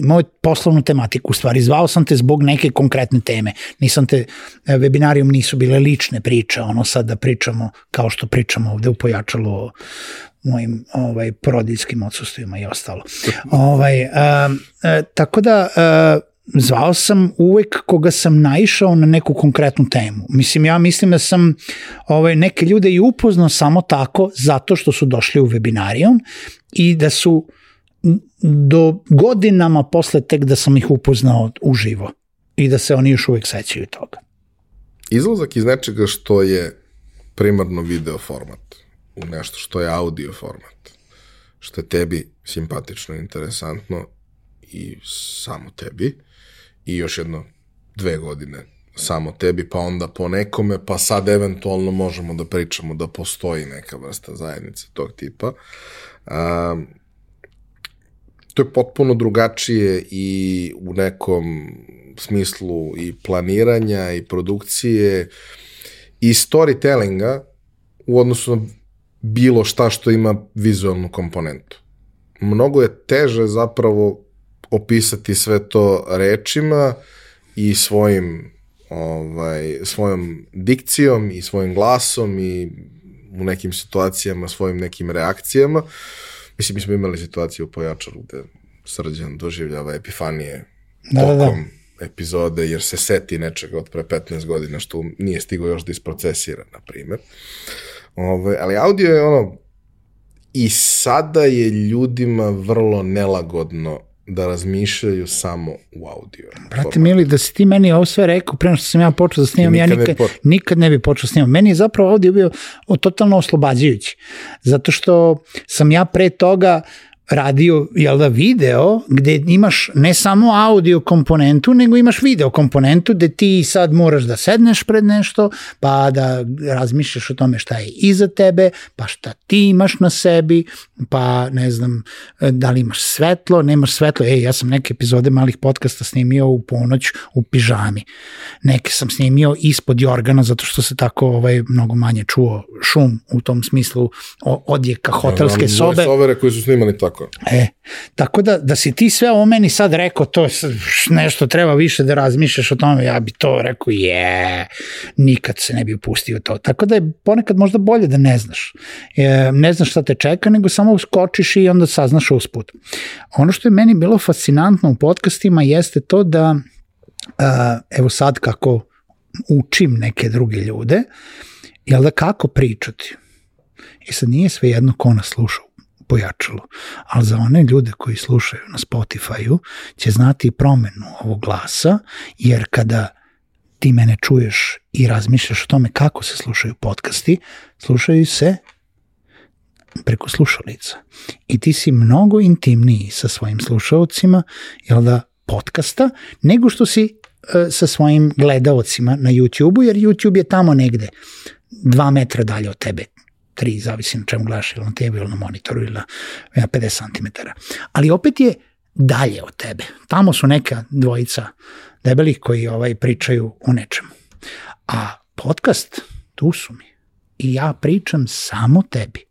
Speaker 2: moj poslovnu tematiku, u stvari zvao sam te zbog neke konkretne teme, webinarijum nisu bile lične priče, sad da pričamo kao što pričamo ovde u Pojačalu o mojim porodiljskim odsustvima i ostalo. Tako da zvao sam uvek koga sam naišao na neku konkretnu temu. Ja mislim da sam neke ljude i upoznao samo tako zato što su došli u webinarijum i da su do godinama posle tek da sam ih upoznao uživo i da se oni još uvek sećaju toga.
Speaker 1: Izlazak iz nečega što je primarno video format u nešto što je audio format, što je tebi simpatično, interesantno i samo tebi, i još 2 godine samo tebi, pa onda po nekome, pa sad eventualno možemo da pričamo da postoji neka vrsta zajednice tog tipa. To je potpuno drugačije i u nekom smislu i planiranja i produkcije i storytellinga u odnosu na bilo šta što ima vizualnu komponentu. Mnogo je teže zapravo opisati sve to rečima i svojom dikcijom i svojim glasom i u nekim situacijama svojim nekim reakcijama, Mislim, mi smo imali situaciju u Pojačaru gde Srđan doživljava epifanije tokom epizode, jer se seti nečega od pre 15 godina što nije stigo još da isprocesira, na primjer. Ali audio je i sada je ljudima vrlo nelagodno da razmišljaju samo u audio.
Speaker 2: Brate mili, da si ti meni ovo sve rekao pre nego što sam ja počeo da snimam, ja nikad ne bi počeo snimam. Meni je zapravo audio bio totalno oslobađajući, zato što sam ja pre toga radio, video, gde imaš ne samo audio komponentu, nego imaš video komponentu, gde ti sad moraš da sedneš pred nešto, pa da razmišljaš o tome šta je iza tebe, pa šta ti imaš na sebi, pa ne znam, da li imaš svetlo, nemaš svetlo. Ja sam neke epizode malih podcasta snimio u ponoć u pižami. Neke sam snimio ispod jorgana, zato što se tako mnogo manje čuo šum u tom smislu odjeka hotelske sobe.
Speaker 1: Moje sovere koji su snimali tako.
Speaker 2: Tako da si ti sve o meni sad rekao, to je nešto treba više da razmišljaš o tome, ja bi to rekao, nikad se ne bi upustio to. Tako da je ponekad možda bolje da ne znaš. Ne znaš šta te čeka, nego samo skočiš i onda saznaš usput. Ono što je meni bilo fascinantno u podcastima jeste to da, evo sad kako učim neke druge ljude, jel da kako pričati. I sad nije sve jedno ko nas sluša Pojačalo, ali za one ljude koji slušaju na Spotify-u će znati promenu ovog glasa, jer kada ti mene čuješ i razmišljaš o tome kako se slušaju podcasti, slušaju se preko slušalica. I ti si mnogo intimniji sa svojim slušalcima, podcasta, nego što si sa svojim gledaocima na YouTube-u, jer YouTube je tamo negde 2 metra dalje od tebe. 3, zavisi na čemu gledaš, ili na tebi, ili na monitoru, ili na 50 cm. Ali opet je dalje od tebe. Tamo su neka dvojica debelih koji pričaju o nečemu. A podcast, tu su mi. I ja pričam samo tebi.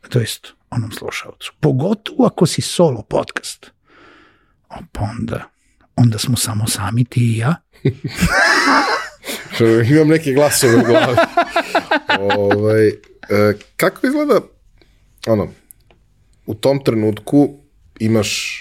Speaker 2: To jest onom slušalcu. Pogotovo ako si solo podcast. Pa onda smo samo sami ti i ja.
Speaker 1: Imam neke glasove u glavi. Kako izgleda, u tom trenutku imaš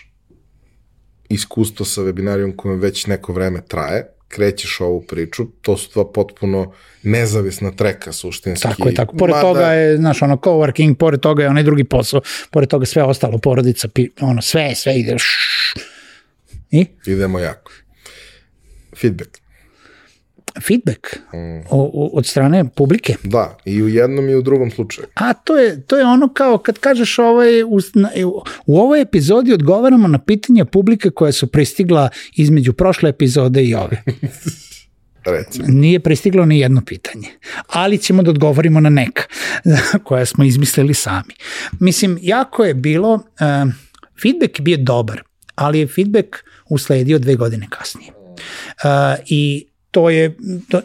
Speaker 1: iskustvo sa webinarijom kojem već neko vreme traje, krećeš ovu priču, to su dva potpuno nezavisna treka suštinski.
Speaker 2: Tako. Pored toga je, coworking, pored toga je onaj drugi posao, pored toga sve ostalo, porodica, sve ide. I?
Speaker 1: Idemo jako.
Speaker 2: Feedback od strane publike.
Speaker 1: Da, i u jednom i u drugom slučaju.
Speaker 2: A to je ono kao kad kažeš u ovoj epizodi odgovaramo na pitanja publike koja su pristigla između prošle epizode i ove.
Speaker 1: Recimo.
Speaker 2: Nije pristiglo ni jedno pitanje, ali ćemo da odgovorimo na neka koja smo izmislili sami. Mislim, jako je bilo, feedback je bio dobar, ali je feedback usledio 2 godine kasnije. I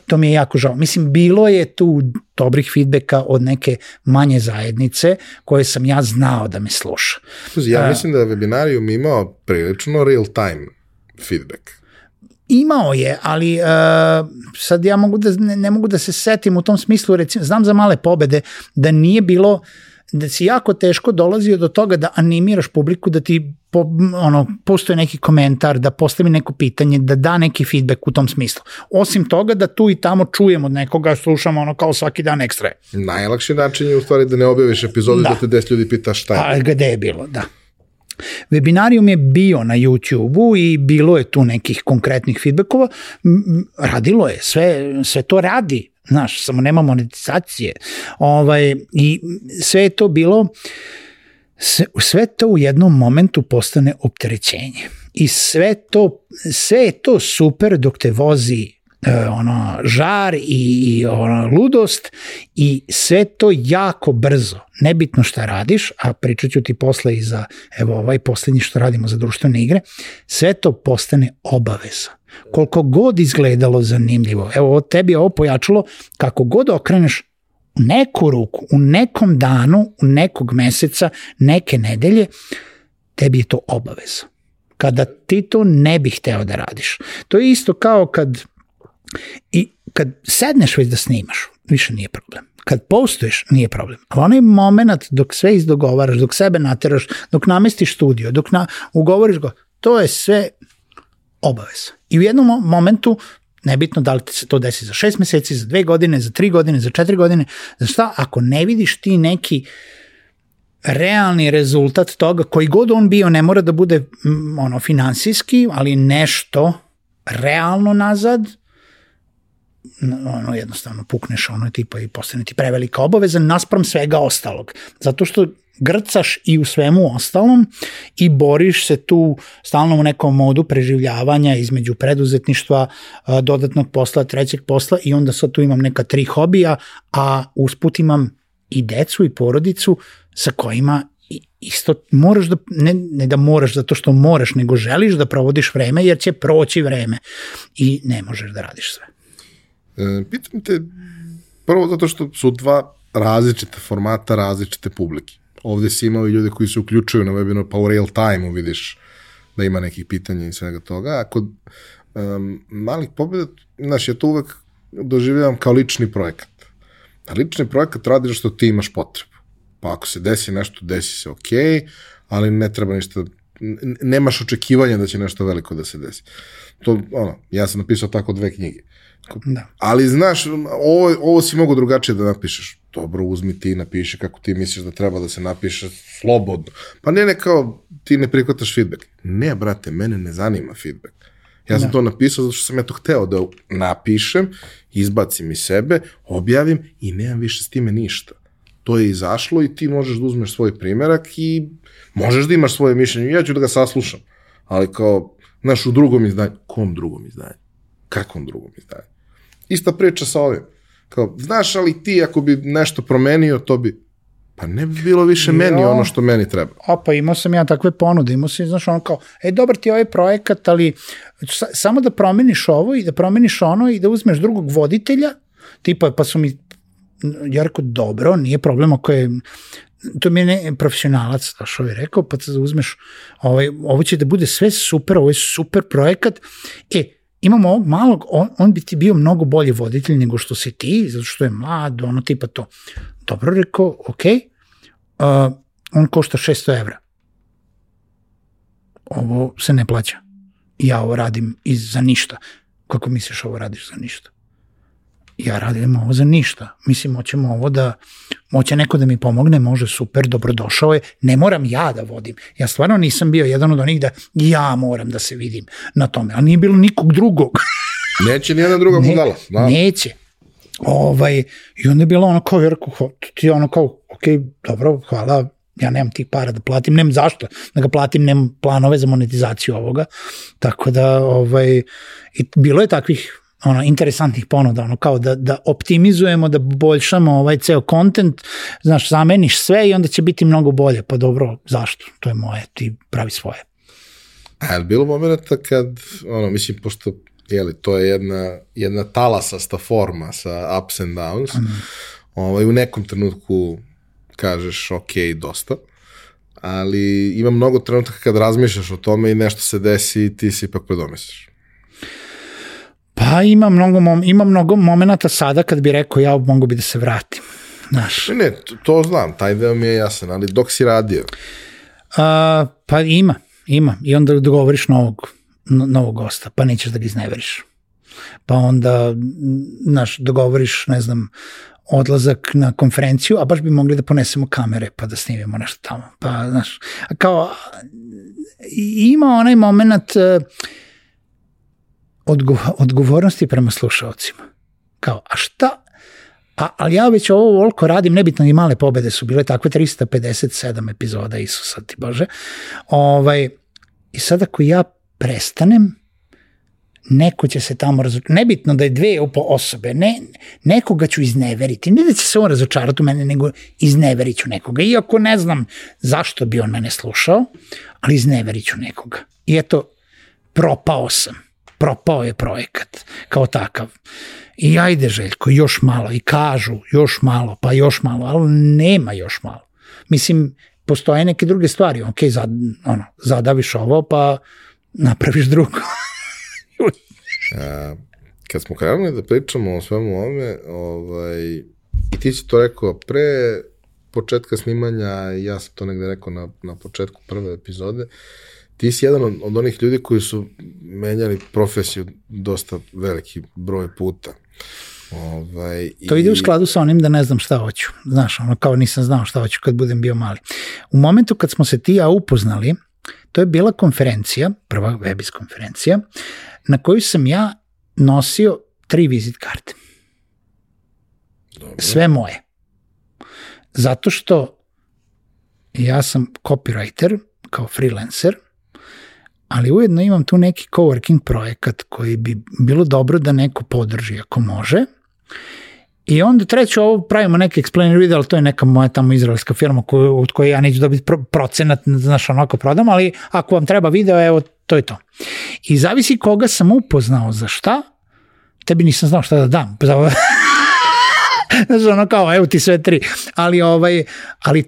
Speaker 2: to mi je jako žao. Mislim, bilo je tu dobrih feedbacka od neke manje zajednice koje sam ja znao da me sluša.
Speaker 1: Ja mislim da je Webinarium imao prilično real time feedback.
Speaker 2: Imao je, ali sad ja ne mogu da se setim u tom smislu, recimo, znam za male pobede da nije bilo, da si jako teško dolazio do toga da animiraš publiku, da ti postoje neki komentar, da postavi neko pitanje, da da neki feedback u tom smislu. Osim toga da tu i tamo čujemo od nekoga, slušamo kao svaki dan ekstra.
Speaker 1: Najlakši način je u stvari da ne objaviš epizodu da te 10 ljudi pita šta je.
Speaker 2: A gde je bilo, da. Webinarium je bio na YouTube-u i bilo je tu nekih konkretnih feedbackova. Radilo je, sve to radi. Znaš, samo nema monetizacije. I sve je to bilo, sve to u jednom momentu postane opterećenje. I sve je to super dok te vozi žar i ludost i sve to jako brzo. Nebitno šta radiš, a pričat ću ti posle i za ovaj posljednji što radimo za društvene igre, sve to postane obaveza. Koliko god izgledalo zanimljivo. Evo, tebi je ovo pojačalo, kako god okreneš u neku ruku, u nekom danu, u nekog meseca, neke nedelje, tebi je to obaveza. Kada ti to ne bi hteo da radiš. To je isto kao kad sedneš već da snimaš, više nije problem. Kad postuješ, nije problem. Ali onaj moment dok sve izdogovaraš, dok sebe nateraš, dok namestiš studio, dok ugovoriš go, to je sve obaveza. I u jednom momentu, nebitno da li ti se to desi za 6 meseci, za 2 godine, za 3 godine, za 4 godine, za šta, ako ne vidiš ti neki realni rezultat toga, koji god on bio, ne mora da bude finansijski, ali nešto realno nazad, jednostavno pukneš tipa i postane ti prevelika obaveza naspram svega ostalog. Zato što grcaš i u svemu ostalom i boriš se tu stalno u nekom modu preživljavanja između preduzetništva, dodatnog posla, trećeg posla i onda sad tu imam neka 3 hobija, a usput imam i decu i porodicu sa kojima isto moraš da, ne da moraš zato što moraš, nego želiš da provodiš vreme jer će proći vreme i ne možeš da radiš sve.
Speaker 1: Pitam te, prvo zato što su 2 različita formata, različite publike. Ovde si imao i ljude koji se uključuju na webinar, pa u real time-u vidiš da ima nekih pitanja i svega toga. A kod malih pobjeda, znaš, ja to uvek doživljavam kao lični projekat. A lični projekat radiš što ti imaš potrebu. Pa ako se desi nešto, desi se okej, ali ne treba ništa, nemaš očekivanja da će nešto veliko da se desi. To, ja sam napisao tako 2 knjige. Da. Ali znaš, ovo si mogu drugačije da napišeš. Dobro, uzmi ti i napiši kako ti misliš da treba da se napiše slobodno. Pa ne kao ti ne prihvataš feedback. Ne, brate, mene ne zanima feedback. Ja sam to napisao zato što sam to hteo da napišem, izbacim iz sebe, objavim i nemam više s time ništa. To je izašlo i ti možeš da uzmeš svoj primjerak i možeš da imaš svoje mišljenje. Ja ću da ga saslušam. Ali kao, znaš, u drugom izdanju. Kom drugom izdanju? Kakvom drugom izdanju? Ista priča sa ovim. Kao, znaš, ali ti ako bi nešto promenio, to bi, pa ne bi bilo više meni ono što meni treba.
Speaker 2: Pa imao sam ja takve ponude, imao sam, znaš, ono kao, dobar ti je ovaj projekat, ali samo da promeniš ovo i da promeniš ono i da uzmeš drugog voditelja, tipa, pa su mi, ja rekao, dobro, nije problem ako je, to mi je profesionalac, što je rekao, pa da uzmeš, ovo će da bude sve super, ovo je super projekat, imamo ovog malog, on bi ti bio mnogo bolji voditelj nego što si ti, zato što je mlad, tipa to. Dobro, rekao, on košta 600 evra. Ovo se ne plaća. Ja ovo radim za ništa. Kako misliš ovo radiš za ništa? Ja radim ovo za ništa. Mislim, hoćemo ovo da, hoće neko da mi pomogne, može, super, dobrodošao je, ne moram ja da vodim. Ja stvarno nisam bio jedan od onih da ja moram da se vidim na tome, ali nije bilo nikog drugog.
Speaker 1: Neće nijedna druga budala.
Speaker 2: Neće. I onda je bilo ono kao, ti ono kao, dobro, hvala, ja nemam tih para da platim, nemam zašto da ga platim, nemam planove za monetizaciju ovoga, tako da, bilo je takvih interesantnih ponuda, kao da optimizujemo, da poboljšamo ceo kontent, znaš, zameniš sve i onda će biti mnogo bolje, pa dobro, zašto? To je moje, ti pravi svoje.
Speaker 1: A je li bilo momenta kad, mislim, pošto, to je jedna talasasta forma sa ups and downs, u nekom trenutku kažeš, dosta, ali ima mnogo trenutka kad razmišljaš o tome i nešto se desi i ti se ipak predomisliš.
Speaker 2: Pa ima mnogo momenata sada kad bi rekao ja mogu bi da se vratim. Znaš.
Speaker 1: Ne, to znam, taj deo mi je jasan, ali dok si radio?
Speaker 2: Pa ima. I onda dogovoriš novog gosta, pa nećeš da ga izneveriš. Pa onda, znaš, dogovoriš, ne znam, odlazak na konferenciju, a baš bi mogli da ponesemo kamere pa da snimimo nešto tamo. Pa, znaš, kao, ima onaj moment odgovornosti prema slušalcima. Kao, a šta? Ali ja već ovo voliko radim, nebitno i male pobede su bile takve 357 epizoda, Isusa ti Bože. I sad ako ja prestanem, neko će se tamo razočarati. Nebitno da je 2 osobe, nekoga ću izneveriti. Ne da će se on razočarati u mene, nego izneverit ću nekoga. Iako ne znam zašto bi on mene slušao, ali izneverit ću nekoga. I eto, propao sam. Propao je projekat kao takav. I ajde, Željko, još malo. I kažu još malo, pa još malo, ali nema još malo. Mislim, postoje neke druge stvari. Ok, zadaviš ovo, pa napraviš drugo.
Speaker 1: Kad smo krenuli da pričamo o svemu ovome, I ti si to rekao pre početka snimanja, ja sam to negde rekao na početku prve epizode, ti si jedan od onih ljudi koji su menjali profesiju dosta veliki broj puta.
Speaker 2: To ide u skladu sa onim da ne znam šta hoću. Znaš, ono kao nisam znao šta hoću kad budem bio mali. U momentu kad smo se ti i ja upoznali, to je bila konferencija, prva Webis konferencija, na koju sam ja nosio 3 vizit karte. Dobro. Sve moje. Zato što ja sam copywriter kao freelancer, ali ujedno imam tu neki coworking projekat koji bi bilo dobro da neko podrži ako može. I onda treće, ovo pravimo neki explainer video, ali to je neka moja tamo izraelska firma od koje ja neću dobiti procenat, znaš, onako prodam, ali ako vam treba video, evo, to je to. I zavisi koga sam upoznao za šta, tebi nisam znao šta da dam. Znaš, ono kao, evo ti sve 3. Ali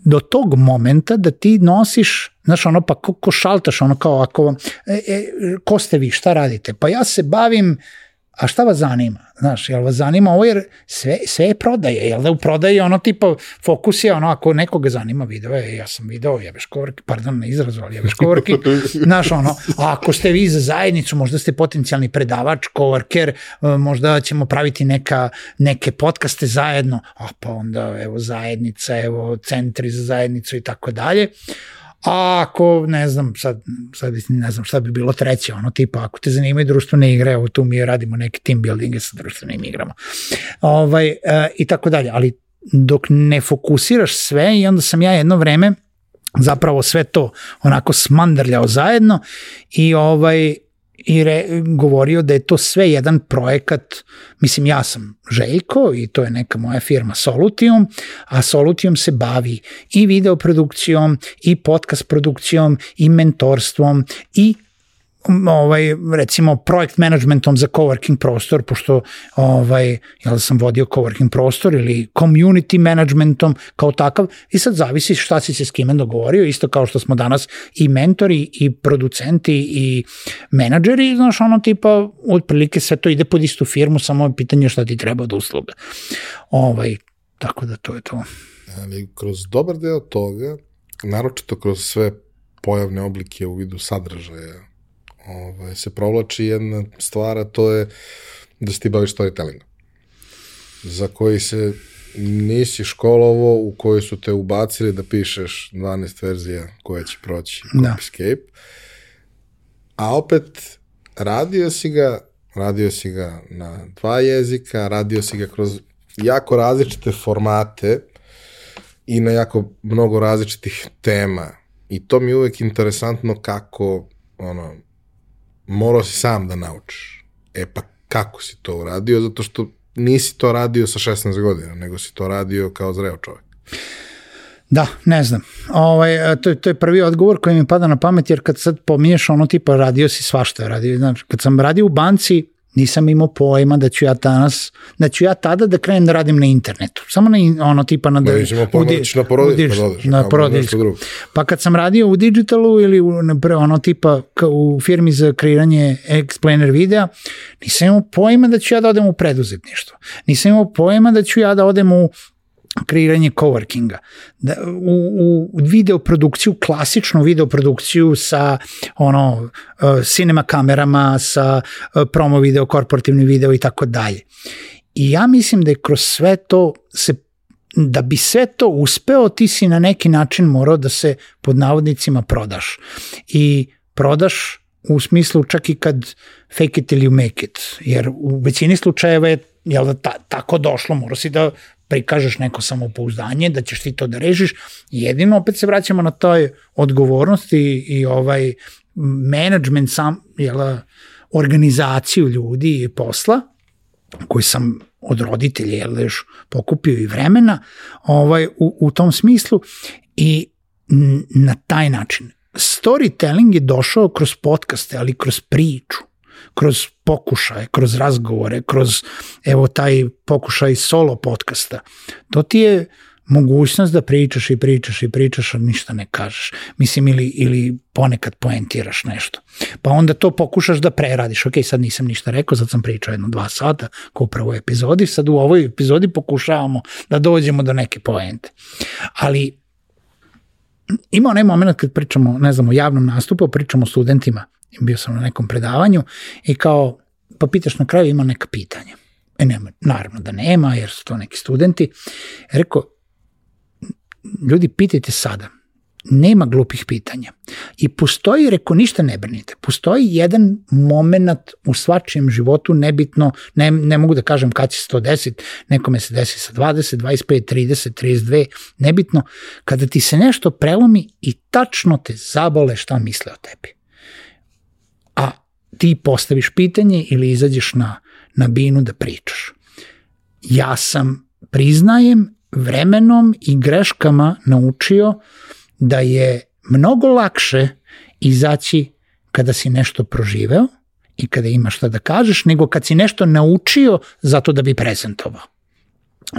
Speaker 2: do tog momenta da ti nosiš, znaš, ono, pa ko šaltaš, ono kao, ako, ko ste vi, šta radite? Pa ja se bavim, a šta vas zanima? Znaš, jel vas zanima ovo, jer sve je prodaje, jel da u prodaji ono tipa fokus je ono, ako nekoga zanima video, ja sam video, jebeš coworking, pardon na izrazu, ali jebeš coworking, znaš, ono, a ako ste vi za zajednicu, možda ste potencijalni predavač, coworker, možda ćemo praviti neke podcaste zajedno, a pa onda, evo, zajednica, evo, centri za zajednicu i tako dalje. A ako, ne znam, sad ne znam šta bi bilo treće, ono tipa, ako te zanimaju društvene igre, evo tu mi radimo neke team buildinge sa društvenim igrama. I tako dalje, ali dok ne fokusiraš sve i onda sam ja jedno vreme zapravo sve to onako smandrljao zajedno i govorio da je to sve jedan projekat, mislim ja sam Željko i to je neka moja firma Solutium, a Solutium se bavi i videoprodukcijom i podcast produkcijom i mentorstvom i recimo projekt managementom za coworking prostor, pošto ja sam vodio coworking prostor ili community managementom kao takav i sad zavisi šta si se s kime dogovorio, isto kao što smo danas i mentori i producenti i menadžeri, znaš, ono tipa otprilike sve to ide pod istu firmu, samo je pitanje šta ti treba od usluga. Tako da to je to.
Speaker 1: Ali kroz dobar deo toga, naročito kroz sve pojavne oblike u vidu sadržaja, se provlači jedna stvar, a to je da se ti baviš storytellingom, za koji se nisi školovo, u koji su te ubacili da pišeš 12 verzija koje će proći Copyscape, a opet radio si ga na 2 jezika, radio si ga kroz jako različite formate i na jako mnogo različitih tema i to mi je uvek interesantno kako morao si sam da naučiš. Pa kako si to uradio? Zato što nisi to radio sa 16 godina, nego si to radio kao zreo čovjek.
Speaker 2: Da, ne znam. To je prvi odgovor koji mi pada na pamet, jer kad sad pominješ ono tipa radio si svašta radio. Znači, kad sam radio u banci, nisam imao pojma da ću ja tada da krenem da radim na internetu. Samo na ono tipa na porodiljsku. Pa kad sam radio u digitalu ili ono tipa u firmi za kreiranje explainer videa, nisam imao pojma da ću ja da odem u preduzetništvo. Nisam imao pojma da ću ja da odem u kreiranje coworkinga, u videoprodukciju, klasičnu videoprodukciju sa cinema kamerama, sa promo video, korporativni video i tako dalje. I ja mislim da je kroz sve to, da bi sve to uspeo, ti si na neki način morao da se pod navodnicima prodaš. I prodaš u smislu čak i kad fake it till you make it, jer u većini slučajeva je tako došlo, morao si da prikažeš neko samopouzdanje, da ćeš ti to da režiš. Jedino opet se vraćamo na toj odgovornosti i management organizaciju ljudi i posla, koji sam od roditelja još pokupio i vremena u tom smislu i na taj način. Storytelling je došao kroz podcaste, ali kroz priču, kroz pokušaje, kroz razgovore, kroz evo taj pokušaj solo podcasta. To ti je mogućnost da pričaš i pričaš, a ništa ne kažeš. Mislim, ili ponekad poentiraš nešto. Pa onda to pokušaš da preradiš. Ok, sad nisam ništa rekao, sad sam pričao 2 sata, kao u prvoj epizodi, sad u ovoj epizodi pokušavamo da dođemo do neke poente. Ali ima onaj moment kad pričamo, ne znam, o javnom nastupu, pričamo o studentima, bio sam na nekom predavanju i kao, pa pitaš na kraju, ima neka pitanja. Nema, naravno da nema, jer su to neki studenti. Rekao, ljudi, pitajte sada. Nema glupih pitanja. I postoji, rekao, ništa ne brinite. Postoji jedan moment u svačijem životu, nebitno, ne mogu da kažem kad će se to desiti, nekome se desi sa 20, 25, 30, 32, nebitno, kada ti se nešto prelomi i tačno te zabole šta misle o tebi. A ti postaviš pitanje ili izađeš na binu da pričaš. Ja sam, priznajem, vremenom i greškama naučio da je mnogo lakše izaći kada si nešto proživeo i kada imaš šta da kažeš, nego kad si nešto naučio zato da bi prezentovao.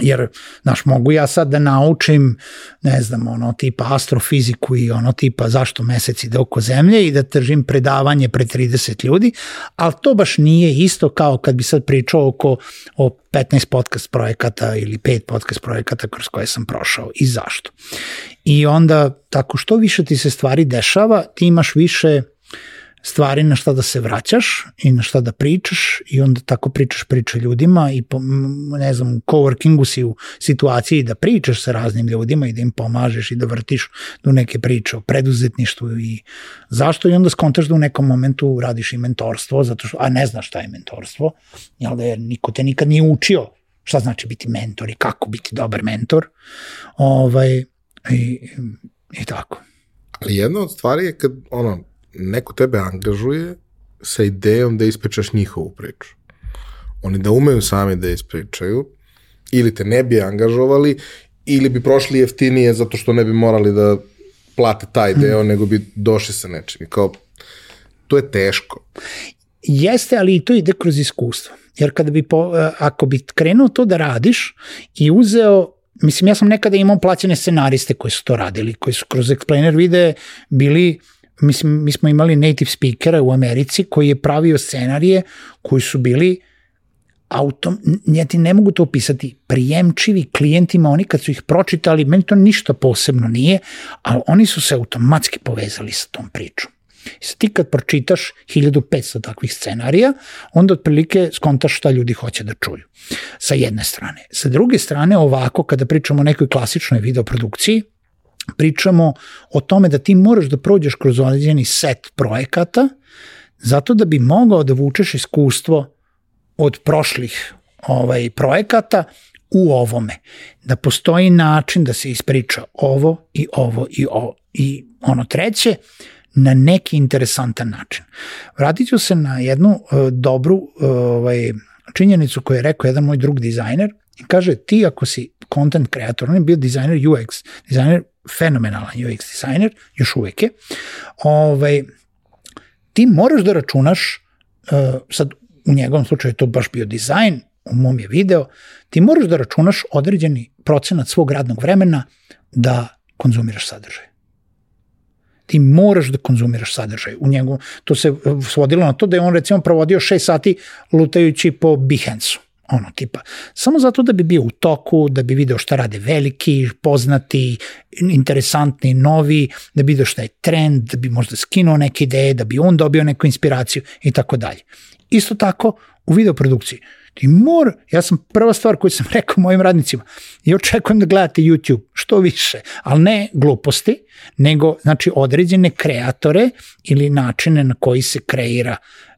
Speaker 2: Jer, znaš, mogu ja sad da naučim, ne znam, ono tipa astrofiziku i ono tipa zašto mesec ide oko zemlje i da držim predavanje pred 30 ljudi, ali to baš nije isto kao kad bi sad pričao o 15 podcast projekata ili 5 podcast projekata kroz koje sam prošao i zašto. I onda, tako što više ti se stvari dešava, ti imaš više stvari na šta da se vraćaš i na šta da pričaš i onda tako pričaš priče ljudima i ne znam, u coworkingu si u situaciji da pričaš sa raznim ljudima i da im pomažeš i da vrtiš do neke priče o preduzetništvu i zašto i onda skontaš da u nekom momentu radiš i mentorstvo, zato što, a ne znaš šta je mentorstvo, jel da, jer niko te nikad nije učio šta znači biti mentor i kako biti dobar mentor i tako.
Speaker 1: Ali jedna od stvari je kad neko tebe angažuje sa idejom da ispričaš njihovu priču. Oni da umeju sami da ispričaju, ili te ne bi angažovali, ili bi prošli jeftinije zato što ne bi morali da plate taj deo, nego bi došli sa nečim. Kao, to je teško.
Speaker 2: Jeste, ali i to ide kroz iskustvo. Jer ako bi krenuo to da radiš i uzeo, mislim, ja sam nekada imao plaćene scenariste koji su to radili, koji su kroz Explainer videe bili. Mislim, mi smo imali native speakera u Americi koji je pravio scenarije koji su bili ja ti ne mogu to opisati, prijemčivi klijentima, oni kad su ih pročitali, meni to ništa posebno nije, ali oni su se automatski povezali sa tom pričom. I sad ti kad pročitaš 1500 takvih scenarija, onda otprilike skontaš šta ljudi hoće da čuju. Sa jedne strane. Sa druge strane, ovako, kada pričamo o nekoj klasičnoj videoprodukciji, pričamo o tome da ti moraš da prođeš kroz određeni set projekata zato da bi mogao da vučeš iskustvo od prošlih projekata u ovome. Da postoji način da se ispriča ovo i ovo i ovo i ono treće na neki interesantan način. Vratit ću se na jednu dobru činjenicu koju je rekao jedan moj drug dizajner i kaže ti ako si content kreator, on je bio dizajner UX, dizajner fenomenalan UX dizajner, još uvek je, ti moraš da računaš, sad u njegovom slučaju je to baš bio dizajn, u mom je video, ti moraš da računaš određeni procenat svog radnog vremena da konzumiraš sadržaj. Ti moraš da konzumiraš sadržaj. U njegu, to se svodilo na to da je on recimo provodio 6 sati lutajući po Behance-u. Tipa, samo zato da bi bio u toku, da bi video šta rade veliki, poznati, interesantni, novi, da bi video šta je trend, da bi možda skinuo neke ideje, da bi on dobio neku inspiraciju i tako dalje. Isto tako u videoprodukciji. Ja sam prva stvar koju sam rekao mojim radnicima, ja očekujem da gledate YouTube što više, ali ne gluposti, nego znači određene kreatore ili načine na koji se kreira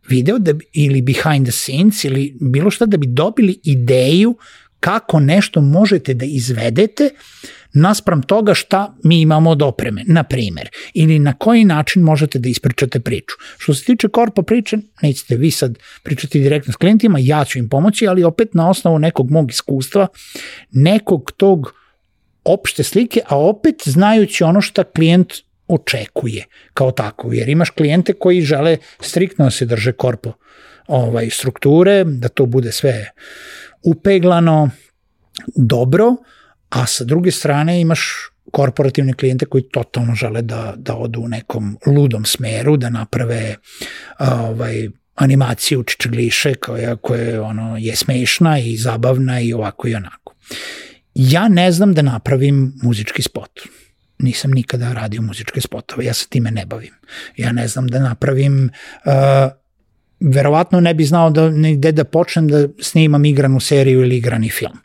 Speaker 2: video ili behind the scenes ili bilo šta da bi dobili ideju kako nešto možete da izvedete naspram toga šta mi imamo od opreme, na primer, ili na koji način možete da ispričate priču. Što se tiče korpo priče, nećete vi sad pričati direktno s klijentima, ja ću im pomoći, ali opet na osnovu nekog mog iskustva, nekog tog opšte slike, a opet znajući ono šta klijent očekuje kao tako, jer imaš klijente koji žele striktno da se drže korpo strukture, da to bude sve upeglano, dobro, a sa druge strane imaš korporativne klijente koji totalno žele da odu u nekom ludom smeru, da naprave animaciju čičagliše koja je smešna i zabavna i ovako i onako. Ja ne znam da napravim muzički spot. Nisam nikada radio muzičke spotove, ja se time ne bavim. Ja ne znam da napravim, verovatno ne bi znao gde da počnem da snimam igranu seriju ili igrani film.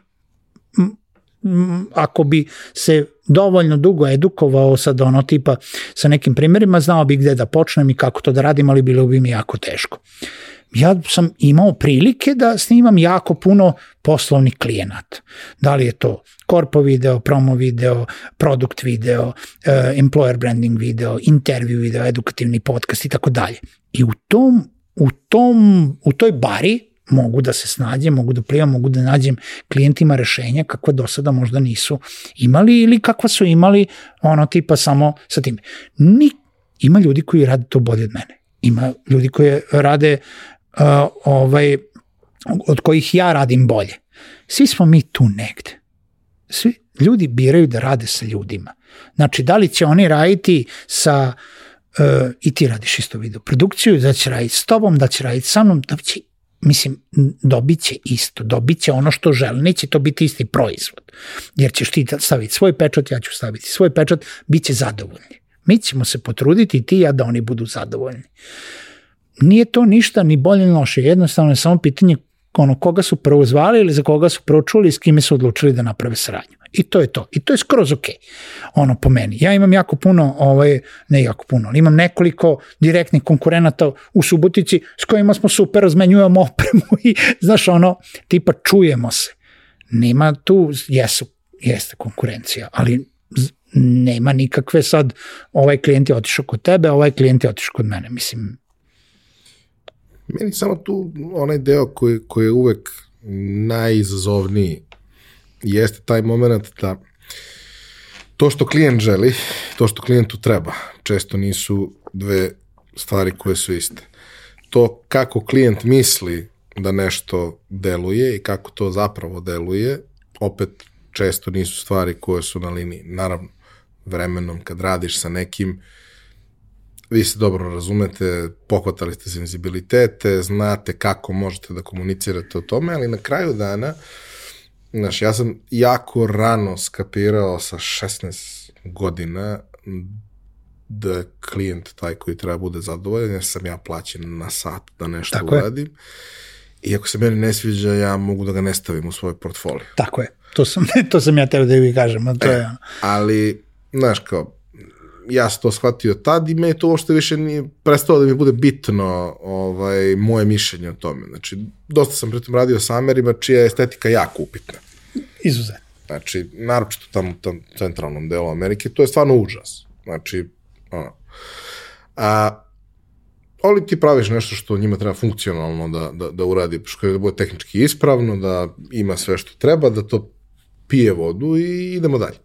Speaker 2: Ako bi se dovoljno dugo edukovao sad tipa sa nekim primjerima, znao bi gde da počnem i kako to da radim, ali bilo bi mi jako teško. Ja sam imao prilike da snimam jako puno poslovnih klijenata. Da li je to korpo video, promo video, produkt video, employer branding video, intervju video, edukativni podcast i tako dalje. I u toj bari mogu da se snađem, mogu da plivam, mogu da nađem klijentima rešenja kakva do sada možda nisu imali ili kakva su imali tipa samo sa tim. Ima ljudi koji rade to bolje od mene. Ima ljudi koji rade od kojih ja radim bolje. Svi smo mi tu negde. Svi ljudi biraju da rade sa ljudima. Znači, da li će oni raditi sa i ti radiš isto video produkciju, da će raditi s tobom, da će raditi sa mnom, dobit će isto, dobit će ono što žele, neće to biti isti proizvod, jer ćeš ti staviti svoj pečat, ja ću staviti svoj pečat, bit će zadovoljni. Mi ćemo se potruditi i ti i ja da oni budu zadovoljni. Nije to ništa ni bolje ni loše, jednostavno je samo pitanje koga su prvo zvali ili za koga su prvo čuli i s kime su odlučili da naprave saradnju. I to je to. I to je skroz okej. Po meni. Ja imam jako puno, ne jako puno, ali imam nekoliko direktnih konkurenata u Subotici s kojima smo super, razmenjujemo opremu i tipa čujemo se. Nema tu, jeste konkurencija, ali nema nikakve sad, ovaj klijent je otišao kod tebe, ovaj klijent je otišao kod mene.
Speaker 1: Meni samo tu onaj deo koji je uvek najizazovniji jeste taj moment da to što klijent želi, to što klijentu treba, često nisu dve stvari koje su iste. To kako klijent misli da nešto deluje i kako to zapravo deluje, opet često nisu stvari koje su na liniji. Naravno, vremenom kad radiš sa nekim, vi se dobro razumete, pohvatali ste senzibilitete, znate kako možete da komunicirate o tome, ali na kraju dana, ja sam jako rano skapirao sa 16 godina da je klijent taj koji treba bude zadovoljan, jer sam ja plaćen na sat da nešto uradim. I ako se meni ne sviđa, ja mogu da ga ne stavim u svoj portfolio.
Speaker 2: Tako je. To sam ja tebe da vi kažem.
Speaker 1: Ali, ja sam to shvatio tad i me to uopšte više nije prestalo da mi bude bitno moje mišljenje o tome. Znači, dosta sam pritom radio sa Amerima čija je estetika jako upitna.
Speaker 2: Izuzetno.
Speaker 1: Znači, naročito tamo u tom centralnom delu Amerike, to je stvarno užas. Znači, ali ti praviš nešto što njima treba funkcionalno da uradi, što je da bude tehnički ispravno, da ima sve što treba, da to pije vodu i idemo dalje.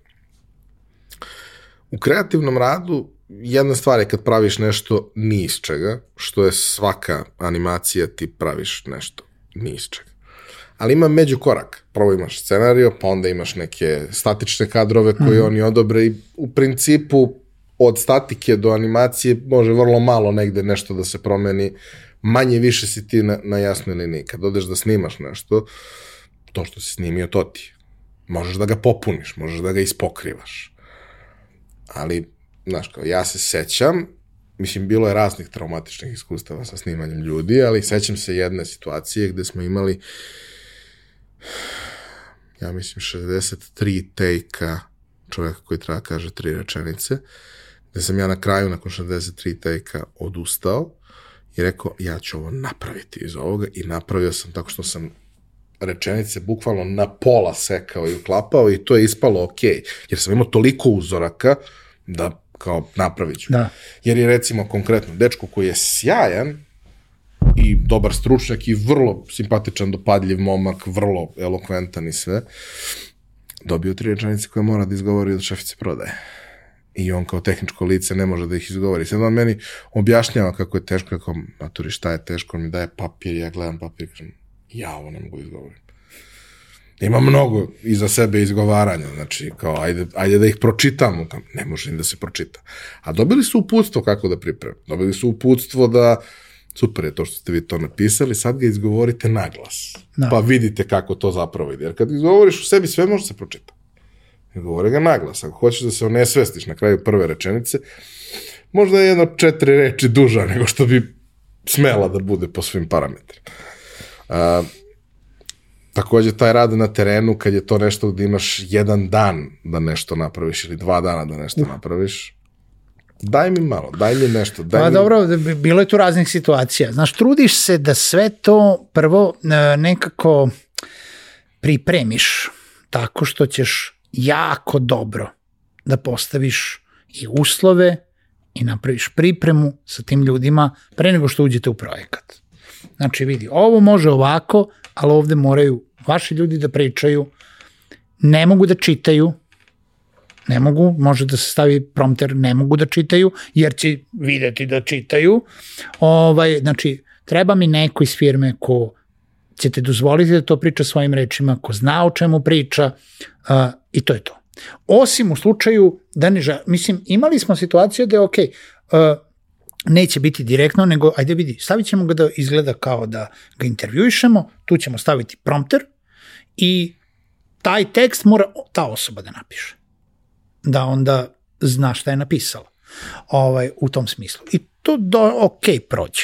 Speaker 1: U kreativnom radu jedna stvar je kad praviš nešto ni iz čega, što je svaka animacija, ti praviš nešto ni iz čega. Ali ima međukorak. Prvo imaš scenario, pa onda imaš neke statične kadrove koje oni odobre i u principu od statike do animacije može vrlo malo negde nešto da se promeni, manje više si ti na jasnoj liniji. Kad odeš da snimaš nešto, to što si snimio, to ti. Možeš da ga popuniš, možeš da ga ispokrivaš. Ali, ja se sećam, bilo je raznih traumatičnih iskustava sa snimanjem ljudi, ali sećam se jedne situacije gde smo imali, 63 take-a čoveka koji treba kaže 3 rečenice, gde sam ja na kraju, nakon 63 take-a, odustao i rekao, ja ću ovo napraviti iz ovoga i napravio sam tako što sam rečenice bukvalno na pola sekao i uklapao i to je ispalo okej, jer sam imao toliko uzoraka da kao napravit ću. Da. Jer je recimo konkretno dečko koji je sjajan i dobar stručnjak i vrlo simpatičan, dopadljiv momak, vrlo elokventan i sve, dobio 3 rečenice koje mora da izgovori od šefice prodaje. I on kao tehničko lice ne može da ih izgovori. Sad on meni objašnjava kako je teško, kako, maturi, šta je teško, on mi daje papir, ja gledam papir i kažem, ja ovo ne mogu izgovoriti. Ima mnogo iza sebe izgovaranja, znači kao ajde da ih pročitamo, ne može im da se pročita. A dobili su uputstvo kako da pripreme, dobili su uputstvo da, super je to što ste vi to napisali, sad ga izgovorite naglas, pa vidite kako to zapravo ide, jer kad izgovoriš u sebi sve može se pročita. Govori ga naglas, ako hoćeš da se onesvestiš na kraju prve rečenice, možda je 4 reči duža nego što bi smela da bude po svim parametrima. Takođe, taj rad na terenu, kad je to nešto gde imaš 1 dan da nešto napraviš ili 2 dana da nešto napraviš, daj mi malo, daj mi nešto.
Speaker 2: Dobro, bilo je tu raznih situacija. Znaš, trudiš se da sve to prvo nekako pripremiš tako što ćeš jako dobro da postaviš i uslove i napraviš pripremu sa tim ljudima pre nego što uđete u projekat. Znači vidi, ovo može ovako, ali ovde moraju vaši ljudi da pričaju, ne mogu da čitaju, ne mogu, može da se stavi prompter, ne mogu da čitaju, jer će videti da čitaju. Znači, treba mi neko iz firme ko ćete dozvoliti da to priča svojim rečima, ko zna o čemu priča i to je to. Osim u slučaju da mislim, imali smo situaciju da je okej, neće biti direktno, nego ajde vidi, stavit ćemo ga da izgleda kao da ga intervjuišemo, tu ćemo staviti prompter i taj tekst mora ta osoba da napiše. Da onda zna šta je napisala u tom smislu. I to prođe.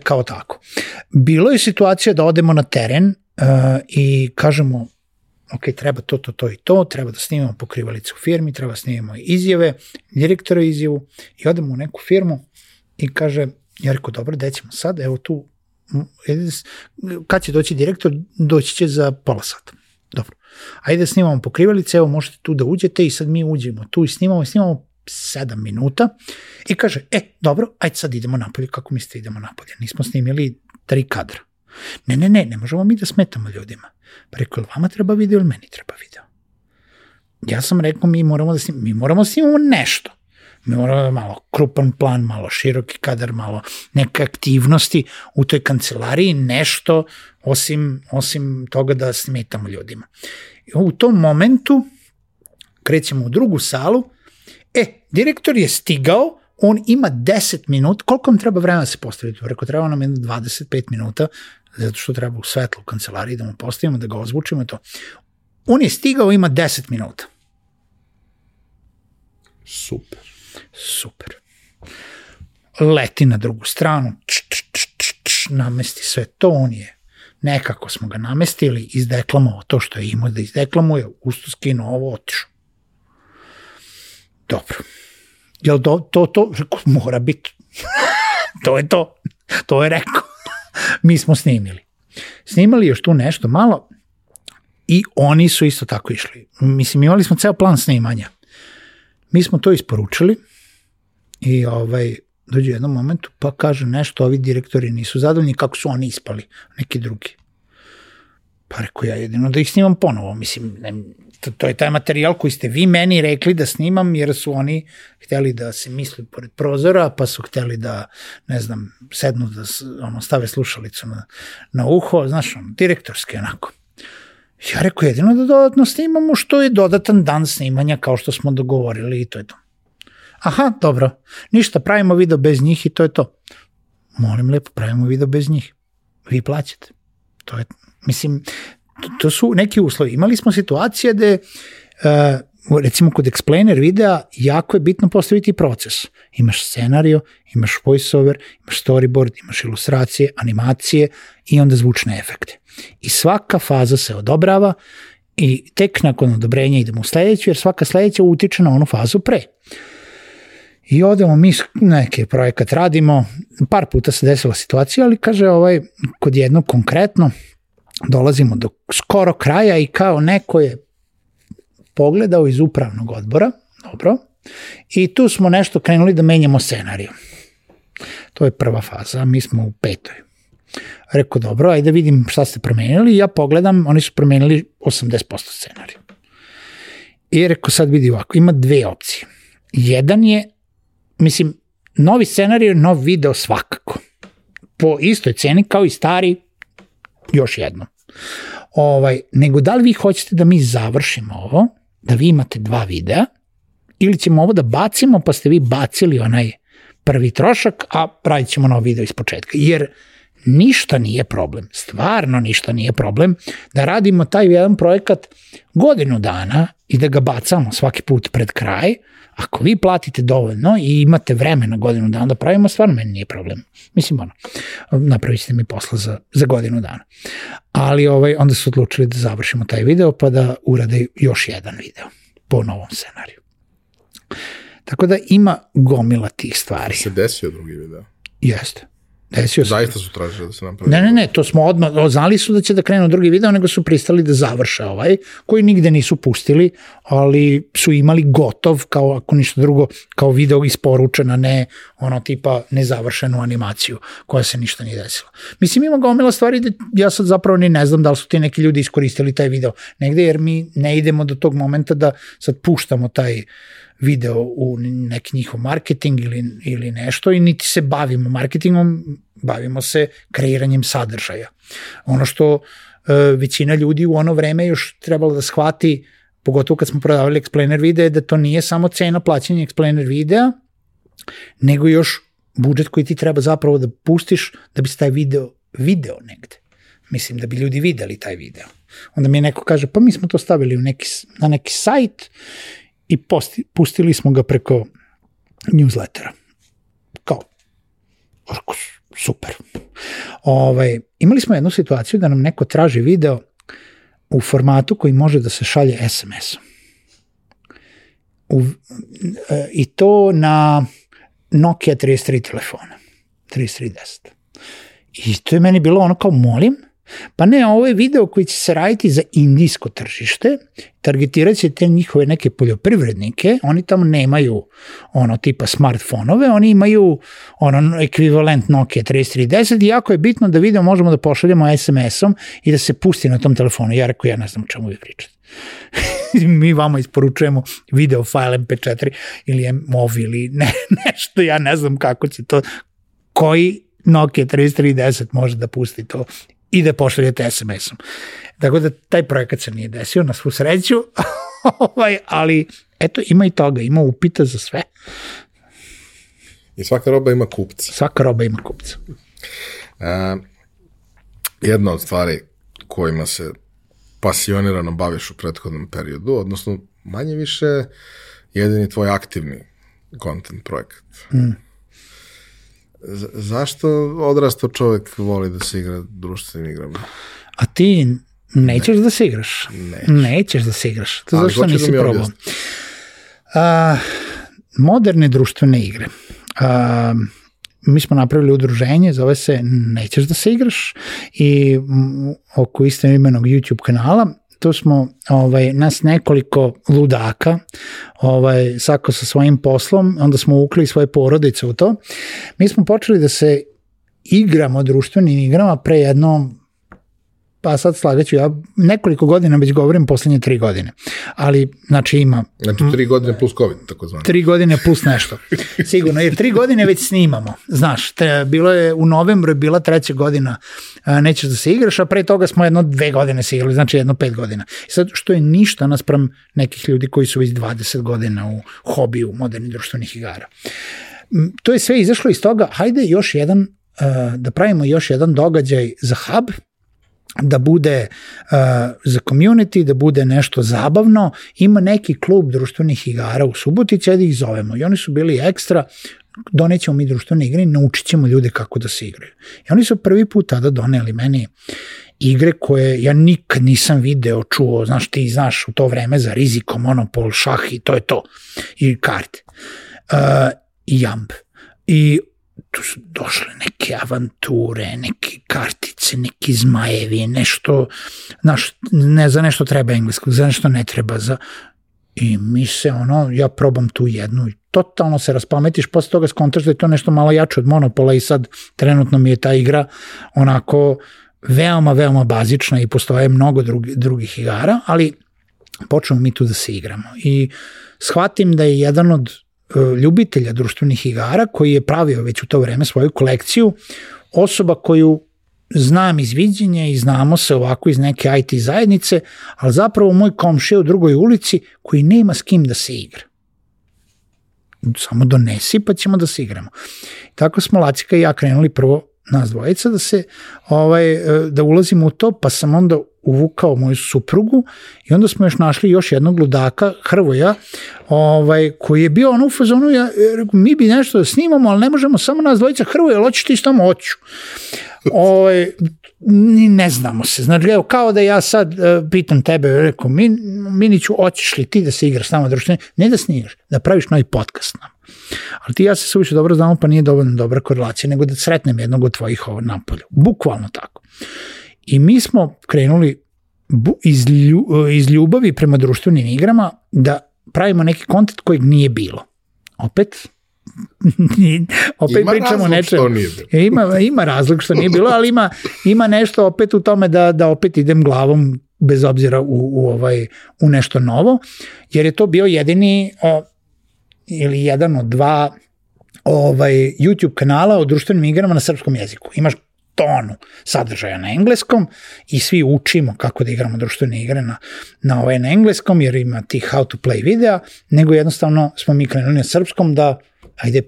Speaker 2: Kao tako. Bilo je situacija da odemo na teren i kažemo treba to i to, treba da snimamo pokrivalice u firmi, treba da snimamo izjave, direktora izjavu i odemo u neku firmu i kaže, ja rekao, dobro, gde ćemo sad, evo tu, kad će doći direktor, doći će za pola sata. Dobro, ajde da snimamo pokrivalice, evo možete tu da uđete i sad mi uđemo tu i snimamo 7 minuta i kaže, dobro, ajde sad idemo napolje, kako mislite idemo napolje, nismo snimili 3 kadra. Ne možemo mi da smetamo ljudima. Pa rekao, ili vama treba video ili meni treba video? Ja sam rekao, mi moramo da snimamo nešto. Mi moramo malo krupan plan, malo široki kadar, malo neke aktivnosti u toj kancelariji, nešto osim toga da smetamo ljudima. I u tom momentu krećemo u drugu salu, direktor je stigao, on ima 10 minuta, koliko vam treba vremena da se postaviti? Rekao, treba nam 25 minuta, zato što treba u svetlu u kancelariji da mu postavimo, da ga ozvučimo i to. On je stigao, ima 10 minuta. Super. Leti na drugu stranu, namesti sve to, on je, nekako smo ga namestili, izdeklamovao to što je imao da izdeklamuje, usto skinuo ovo, otišao. Dobro. Jel to? Rekao, mora biti. To je to. To je rekao. Mi smo snimali još tu nešto malo i oni su isto tako išli. Mislim, imali smo ceo plan snimanja. Mi smo to isporučili i dođe u jednom momentu pa kaže nešto, ovi direktori nisu zadovoljni kako su oni ispali, neki drugi. Pa rekao, ja jedino da ih snimam ponovo, mislim, to je taj materijal koji ste vi meni rekli da snimam, jer su oni hteli da se misli pored prozora, pa su hteli da, ne znam, sednu da stave slušalicu na uho, znaš, direktorski onako. Ja rekao, jedino da dodatno snimamo što je dodatan dan snimanja kao što smo dogovorili i to je to. Aha, dobro, ništa, pravimo video bez njih i to je to. Molim lepo, pravimo video bez njih. Vi plaćate. To je, mislim, to su neki uslovi. Imali smo situacije gde, recimo kod explainer videa, jako je bitno postaviti proces. Imaš scenario, imaš voiceover, imaš storyboard, imaš ilustracije, animacije i onda zvučne efekte. I svaka faza se odobrava i tek nakon odobrenja idemo u sledeću, jer svaka sledeća utiče na onu fazu pre. I odemo mi neki projekat radimo, par puta se desila situacija, ali kaže kod jednog konkretno dolazimo do skoro kraja i kao neko je pogledao iz upravnog odbora, dobro, i tu smo nešto krenuli da menjamo scenariju. To je prva faza, mi smo u 5. Rekao, dobro, ajde vidim šta ste promenili, ja pogledam, oni su promenili 80% scenariju. I rekao, sad vidi ovako, ima 2 opcije. Jedan je, mislim, novi scenarij, nov video svakako. Po istoj ceni kao i stari, još jednom. nego da li vi hoćete da mi završimo ovo, da vi imate 2 videa, ili ćemo ovo da bacimo, pa ste vi bacili onaj prvi trošak, a pravit ćemo novi video iz početka. Jer ništa nije problem, stvarno ništa nije problem da radimo taj jedan projekat godinu dana i da ga bacamo svaki put pred kraj. Ako vi platite dovoljno i imate vremena godinu dana da pravimo, stvarno meni nije problem. Mislim, napravit ćete mi posla za godinu dana. Ali onda su odlučili da završimo taj video pa da urade još jedan video po novom scenariju. Tako da ima gomila tih stvari.
Speaker 1: Se desio drugi video?
Speaker 2: Jeste. Desio se.
Speaker 1: Zaista su tražili da se napravi?
Speaker 2: Ne, to smo odmah, znali su da će da krenu drugi video, nego su pristali da završe koji nigde nisu pustili, ali su imali gotov, kao ako ništa drugo, kao video isporučena, ne tipa nezavršenu animaciju, koja se ništa nije desila. Mislim, ima gomila stvari da ja sad zapravo ni ne znam da li su ti neki ljudi iskoristili taj video negde, jer mi ne idemo do tog momenta da sad puštamo taj video u neki njihov marketing ili nešto i niti se bavimo marketingom, bavimo se kreiranjem sadržaja. Ono što većina ljudi u ono vreme još trebalo da shvati, pogotovo kad smo prodavali explainer videa, da to nije samo cena plaćanja explainer videa, nego još budžet koji ti treba zapravo da pustiš da bi se taj video negde. Mislim, da bi ljudi videli taj video. Onda mi neko kaže, pa mi smo to stavili na neki sajt i pustili smo ga preko newslettera. Kao, super. Imali smo jednu situaciju da nam neko traži video u formatu koji može da se šalje SMS-om. I to na Nokia 33 telefona. 3310. I to je meni bilo ono kao, molim, pa ne, ovo je video koji će se raditi za indijsko tržište, targetirat će te njihove neke poljoprivrednike, oni tamo nemaju tipa smartfonove, oni imaju ekvivalent Nokia 3310 i jako je bitno da video možemo da pošaljemo SMS-om i da se pusti na tom telefonu. Ja rekao, ja ne znam o čemu vi pričate. Mi vama isporučujemo video file MP4 ili MOV ili nešto, ja ne znam kako će to, koji Nokia 3310 može da pusti to i da pošaljete SMS-om. Tako da taj projekat se nije desio, na svu sreću, ali eto, ima i toga, ima upita za sve.
Speaker 1: I svaka roba ima kupca.
Speaker 2: Svaka roba ima kupca.
Speaker 1: Jedna od stvari kojima se pasionirano baviš u prethodnom periodu, odnosno manje više jedini tvoj aktivni content projekat. Zašto odrastao čovjek voli da se igra društvenim igrama?
Speaker 2: A ti nećeš da se igraš? Nećeš da se igraš. To zašto nisi probao? Moderne društvene igre. Mi smo napravili udruženje, zove se Nećeš da se igraš i oko istoimenog YouTube kanala. Tu smo nas nekoliko ludaka, svako sa svojim poslom, onda smo uvukli svoje porodice u to. Mi smo počeli da se igramo društvenim igrama pre jedno, pa sad slagaću, ja nekoliko godina već govorim, poslednje 3 godine. Ali, znači ima...
Speaker 1: Znači 3 godine plus COVID, tako zvano.
Speaker 2: 3 godine plus nešto. Sigurno, jer 3 godine već snimamo. Znaš, bilo je u novembru je bila 3. godina Nećeš da se igraš, a pre toga smo 2 godine se igrali, znači 5 godina. I sad, što je ništa naspram nekih ljudi koji su već 20 godina u hobiju modernih društvenih igara. To je sve izašlo iz toga, hajde još jedan, da pravimo još jedan događaj za hub, da bude za community, da bude nešto zabavno. Ima neki klub društvenih igara u Subotici, da ih zovemo. I oni su bili ekstra, donećemo mi društvene igre i naučit ćemo ljude kako da se igraju. I oni su prvi put tada doneli meni igre koje ja nikad nisam video, čuo, znaš, ti znaš u to vreme za Riziko, Monopol, šah i to je to. I karte. I jamb. I tu su došle neke avanture, neke kartice, neki zmajevi, nešto, znaš, ne za nešto treba engleskog, za nešto ne treba, i mi se, ja probam tu jednu i totalno se raspametiš, posle toga skontaš da je to nešto malo jače od Monopola i sad trenutno mi je ta igra onako veoma, veoma bazična i postoje mnogo drugih igara, ali počnemo mi tu da se igramo. I shvatim da je jedan od ljubitelja društvenih igara koji je pravio već u to vreme svoju kolekciju, osoba koju znam iz viđenja i znamo se ovako iz neke IT zajednice, ali zapravo moj komšija u drugoj ulici koji nema s kim da se igra. Samo donesi pa ćemo da se igramo. Tako smo Lacika i ja krenuli prvo nas dvojica da ulazimo u to, pa sam onda uvukao moju suprugu i onda smo još našli još jednog ludaka, Hrvoja, koji je bio u fazonu, mi bi nešto da snimamo, ali ne možemo samo nas dvojica. Hrvoja, ali hoćeš ti s tamo? Hoću. Ne znamo se. Znači, kao da ja sad pitam tebe, rekao, Miniću, hoćeš li ti da se igraš s nama društveni? Ne da snimaš, da praviš novi podcast nam. Ali ti ja se suviše dobro znamo, pa nije dovoljno dobra korelacija, nego da sretnem jednog od tvojih napolju. Bukvalno tako. I mi smo krenuli iz ljubavi prema društvenim igrama da pravimo neki kontent kojeg nije bilo. Opet pričamo nečemu. Ima razlog što nije bilo, ali ima nešto opet u tome da opet idem glavom bez obzira u nešto novo, jer je to bio jedini ili jedan od dva YouTube kanala o društvenim igrama na srpskom jeziku. Imaš tonu sadržaja na engleskom i svi učimo kako da igramo društvene igre na engleskom, jer ima tih how to play videa, nego jednostavno smo mi krenuli na srpskom da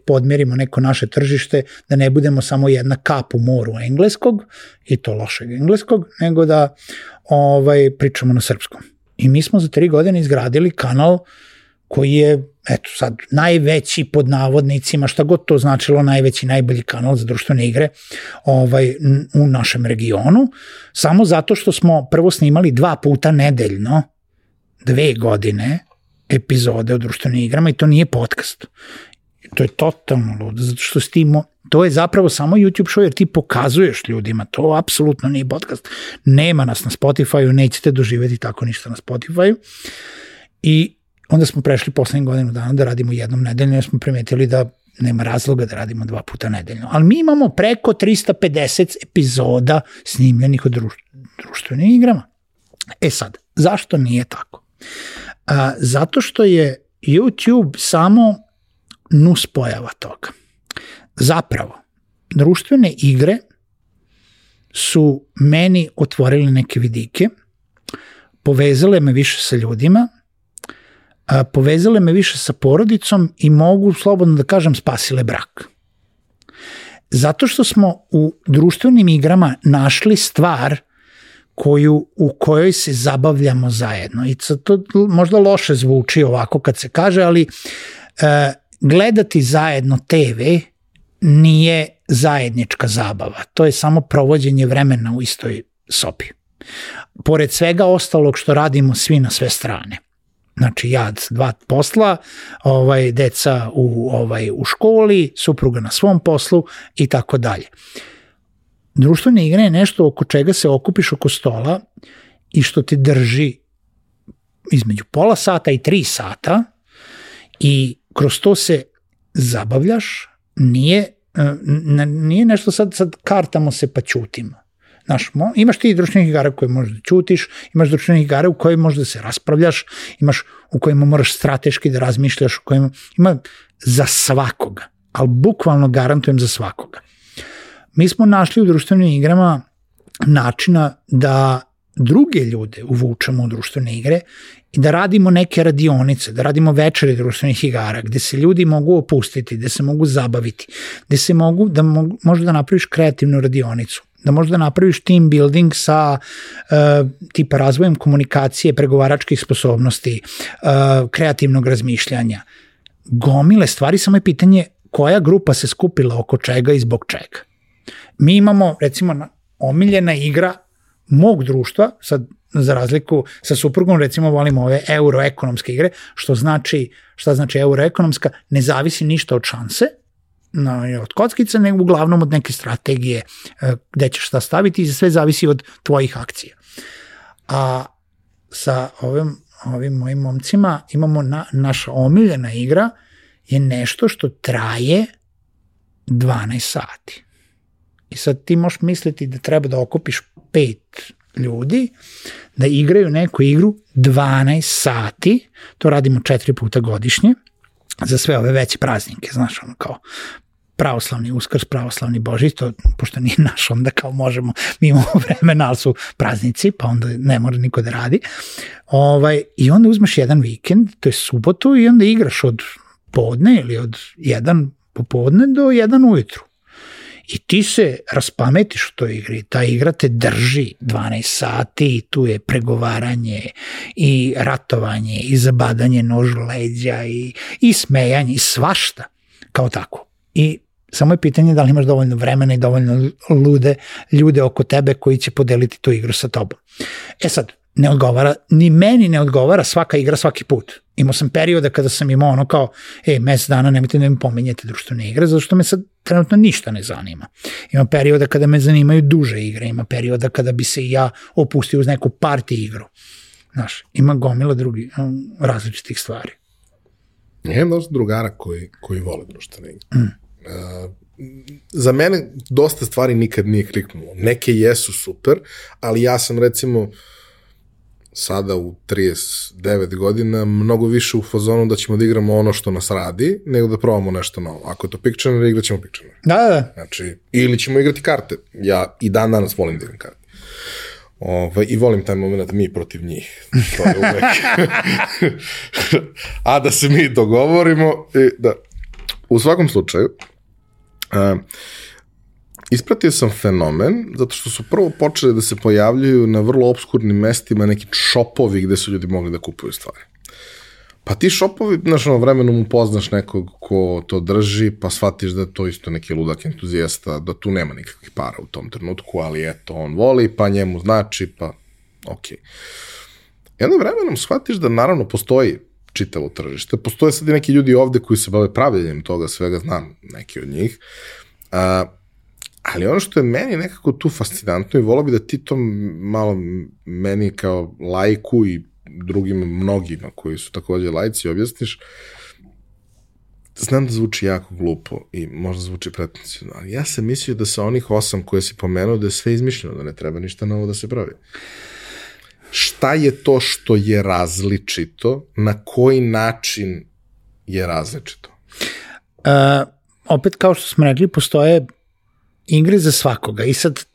Speaker 2: podmerimo neko naše tržište, da ne budemo samo jedna kap u moru engleskog, i to lošeg engleskog, nego da pričamo na srpskom. I mi smo za 3 godine izgradili kanal koji je, eto sad, najveći pod navodnicima, šta god to značilo, najveći, najbolji kanal za društvene igre u našem regionu, samo zato što smo prvo snimali 2 puta nedeljno, 2 godine epizode o društvenim igrama, i to nije podcast. To je totalno ludo, zato što to je zapravo samo YouTube show, jer ti pokazuješ ljudima, to apsolutno nije podcast. Nema nas na Spotify-u, nećete doživjeti tako ništa na Spotify-u. I onda smo prešli poslednjih godinu dana da radimo jednom nedeljno, jer smo primetili da nema razloga da radimo 2 puta nedeljno. Ali mi imamo preko 350 epizoda snimljenih o društvenim igrama. E sad, zašto nije tako? Zato što je YouTube samo nuspojava toga. Zapravo, društvene igre su meni otvorile neke vidike, povezale me više sa ljudima, povezale me više sa porodicom i mogu slobodno da kažem spasile brak. Zato što smo u društvenim igrama našli stvar u kojoj se zabavljamo zajedno. I to možda loše zvuči ovako kad se kaže, ali gledati zajedno TV nije zajednička zabava. To je samo provođenje vremena u istoj sobi. Pored svega ostalog što radimo svi na sve strane. Znači, ja 2 posla, deca u školi, supruga na svom poslu i tako dalje. Društvene igre je nešto oko čega se okupiš oko stola i što te drži između pola sata i 3 sata i kroz to se zabavljaš, nije nešto sad kartamo se pa ćutimo. Znaš, imaš ti društvenih igara koje možeš da ćutiš, imaš društvenih igara u kojima možeš da se raspravljaš, imaš u kojima moraš strateški da razmišljaš, u kojima ima za svakoga, ali bukvalno garantujem za svakoga. Mi smo našli u društvenim igrama načina da druge ljude uvučemo u društvene igre i da radimo neke radionice, da radimo večeri društvenih igara, gde se ljudi mogu opustiti, gde se mogu zabaviti, gde se možeš da napraviš kreativnu radionicu, da možeš da napraviš team building sa tipa razvojem komunikacije, pregovaračkih sposobnosti, kreativnog razmišljanja. Gomile stvari, samo je pitanje koja grupa se skupila oko čega i zbog čega. Mi imamo, recimo, omiljena igra mog društva, sad za razliku sa suprugom, recimo volimo ove euroekonomske igre, šta znači euroekonomska, ne zavisi ništa od šanse, od kockice, nego uglavnom od neke strategije gde ćeš šta staviti i sve zavisi od tvojih akcija. A sa ovim mojim momcima imamo naša omiljena igra je nešto što traje 12 sati. I sad ti možeš misliti da treba da okupiš 5 ljudi, da igraju neku igru 12 sati, to radimo 4 puta godišnje, za sve ove veće praznike, znaš, kao pravoslavni Uskrs, pravoslavni Božić, to, pošto nije naš, onda kao možemo, mi imamo vremena, ali su praznici, pa onda ne mora niko da radi. I onda uzmeš jedan vikend, to je subotu, i onda igraš od podne ili od 1 popodne do 1 ujutru. I ti se raspametiš u toj igri, ta igra te drži 12 sati i tu je pregovaranje i ratovanje i zabadanje nožu leđa i smejanje i svašta kao tako. I samo je pitanje da li imaš dovoljno vremena i dovoljno ljude oko tebe koji će podeliti tu igru sa tobom. Sad, ne odgovara, ni meni ne odgovara svaka igra svaki put. Imao sam perioda kada sam imao ono kao, mesec dana nemojte da mi pominjete društvene igre, zato što me sad trenutno ništa ne zanima. Ima perioda kada me zanimaju duže igre, ima perioda kada bi se i ja opustio uz neku party igru. Znaš, ima gomila drugih različitih stvari.
Speaker 1: Ja imam dosta drugara koji vole društvene igre. Za mene dosta stvari nikad nije kliknulo. Neke jesu super, ali ja sam recimo sada u 39 godina mnogo više u fazonu da ćemo da igramo ono što nas radi, nego da probamo nešto novo. Ako je to Pictionary, igrat ćemo Pictionary.
Speaker 2: Da.
Speaker 1: Znači, ili ćemo igrati karte. Ja i dan danas volim da igram karte. I volim taj moment mi protiv njih. To je uvek. A da se mi dogovorimo. Da. U svakom slučaju, ispratio sam fenomen, zato što su prvo počeli da se pojavljuju na vrlo obskurnim mestima neki šopovi gde su ljudi mogli da kupuju stvari. Pa ti šopovi, znaš, vremenom upoznaš nekog ko to drži, pa shvatiš da je to isto neki ludak entuzijasta, da tu nema nikakvih para u tom trenutku, ali eto, on voli, pa njemu znači, pa okej. I onda vremenom shvatiš da naravno postoji čitavo tržište. Postoje sad i neki ljudi ovde koji se bave pravljenjem toga svega, znam neki od njih. Ali ono što je meni nekako tu fascinantno i volao bi da ti to malo meni kao lajku i drugim mnogima koji su takođe lajci objasniš. Znam da zvuči jako glupo i možda zvuči pretencionalno, ali ja sam mislio da sa onih 8 koje si pomenuo da je sve izmišljeno, da ne treba ništa novo da se pravi. Šta je to što je različito? Na koji način je različito?
Speaker 2: Opet, kao što smo rekli, postoje igre za svakoga i sad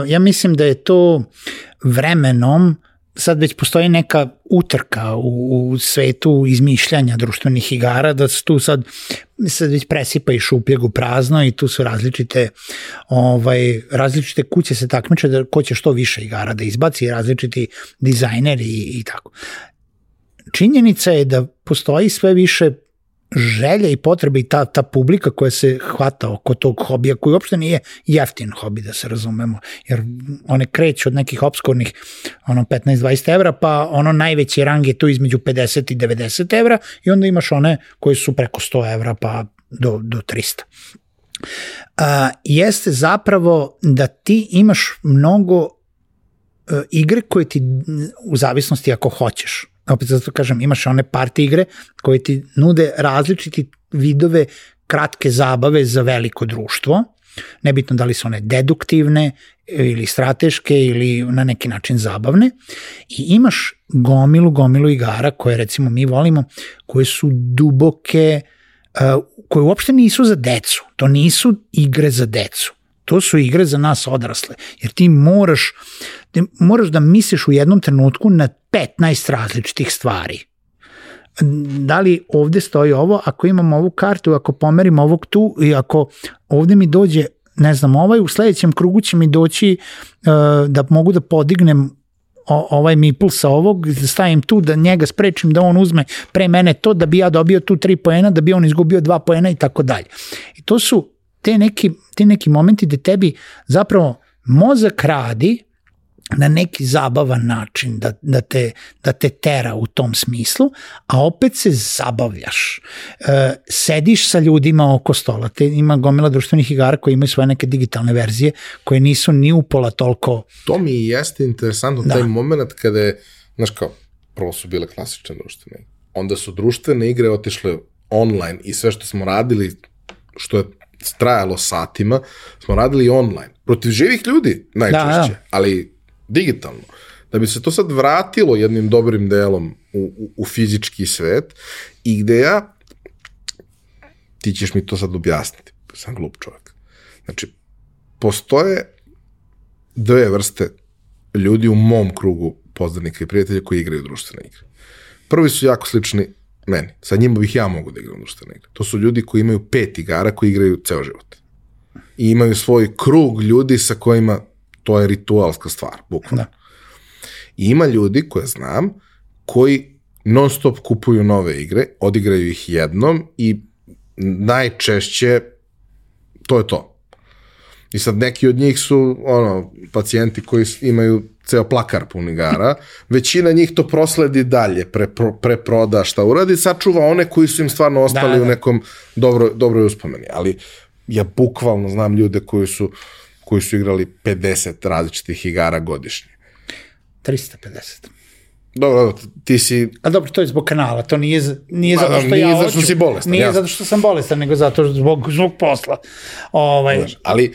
Speaker 2: ja mislim da je to vremenom, sad već postoji neka utrka u svetu izmišljanja društvenih igara, da se tu sad već presipa i šupljeg u prazno i tu su različite kuće se takmiče da ko će što više igara da izbaci, različiti dizajneri i tako. Činjenica je da postoji sve više želja i potrebe i ta publika koja se hvata oko tog hobija, koji uopšte nije jeftin hobi, da se razumemo, jer one kreću od nekih obskurnih 15-20 evra, pa najveći rang je tu između 50 i 90 evra i onda imaš one koje su preko 100 evra pa do 300. Jeste zapravo da ti imaš mnogo igre koje ti u zavisnosti ako hoćeš. Opet zato kažem, imaš one party igre koje ti nude različiti vidove kratke zabave za veliko društvo. Nebitno da li su one deduktivne ili strateške ili na neki način zabavne. I imaš gomilu igara koje recimo mi volimo, koje su duboke, koje uopšte nisu za decu. To nisu igre za decu. To su igre za nas odrasle. Jer ti moraš da misliš u jednom trenutku na 15 različitih stvari. Da li ovde stoji ovo, ako imam ovu kartu, ako pomerim ovog tu i ako ovde mi dođe, ne znam, u sledećem krugu će mi doći da mogu da podignem ovaj meeple sa ovog, da stavim tu, da njega sprečim da on uzme pre mene to, da bi ja dobio tu 3 poena, da bi on izgubio 2 poena i tako dalje. I to su te neki momenti gde tebi zapravo mozak radi na neki zabavan način, da te tera u tom smislu, a opet se zabavljaš. Sediš sa ljudima oko stola, ima gomila društvenih igara koji imaju svoje neke digitalne verzije, koje nisu ni upola toliko...
Speaker 1: To mi jeste interesantno, taj moment kada je, znaš kao, prvo su bile klasične društvene igre, onda su društvene igre otišle online i sve što smo radili, što je trajalo satima, smo radili online. Protiv živih ljudi najčešće, ali digitalno. Da bi se to sad vratilo jednim dobrim delom u fizički svet i gde ti ćeš mi to sad objasniti. sam glup čovjek. Znači, postoje dve vrste ljudi u mom krugu poznanika i prijatelja koji igraju društvene igre. Prvi su jako slični meni. Sa njima bih ja mogu da igram društvene igre. To su ljudi koji imaju 5 igara koji igraju ceo život. I imaju svoj krug ljudi sa kojima to je ritualska stvar, bukvalno. I ima ljudi koje znam koji non stop kupuju nove igre, odigraju ih jednom i najčešće to je to. I sad neki od njih su pacijenti koji imaju ceo plakar pun igara, većina njih to prosledi dalje, preproda šta uradi, sačuva one koji su im stvarno ostali u nekom dobroj uspomeni. Ali ja bukvalno znam ljude koji su igrali 50 različitih igara godišnje.
Speaker 2: 350.
Speaker 1: Dobro, ti si...
Speaker 2: A dobro, to je zbog kanala, to nije zato što
Speaker 1: ja hoću. Nije zato što si bolestan.
Speaker 2: Nije zato što sam bolestan, nego zato zbog posla.
Speaker 1: Ali,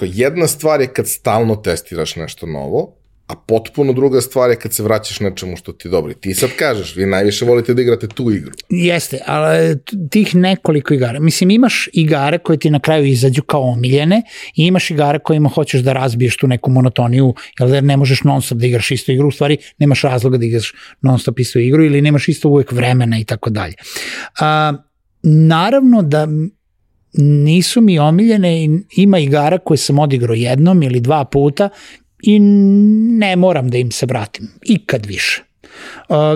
Speaker 1: jedna stvar je kad stalno testiraš nešto novo, a potpuno druga stvar je kad se vraćaš nečemu što ti je dobro. Ti sad kažeš, vi najviše volite da igrate tu igru.
Speaker 2: Jeste, ali tih nekoliko igara. Mislim, imaš igare koje ti na kraju izađu kao omiljene i imaš igare kojima hoćeš da razbiješ tu neku monotoniju, jer ne možeš non stop da igraš istu igru, u stvari nemaš razloga da igraš non stop istu igru ili nemaš isto uvek vremena i tako dalje. Naravno da nisu mi omiljene, ima igara koje sam odigrao jednom ili 2 puta i ne moram da im se vratim, ikad više.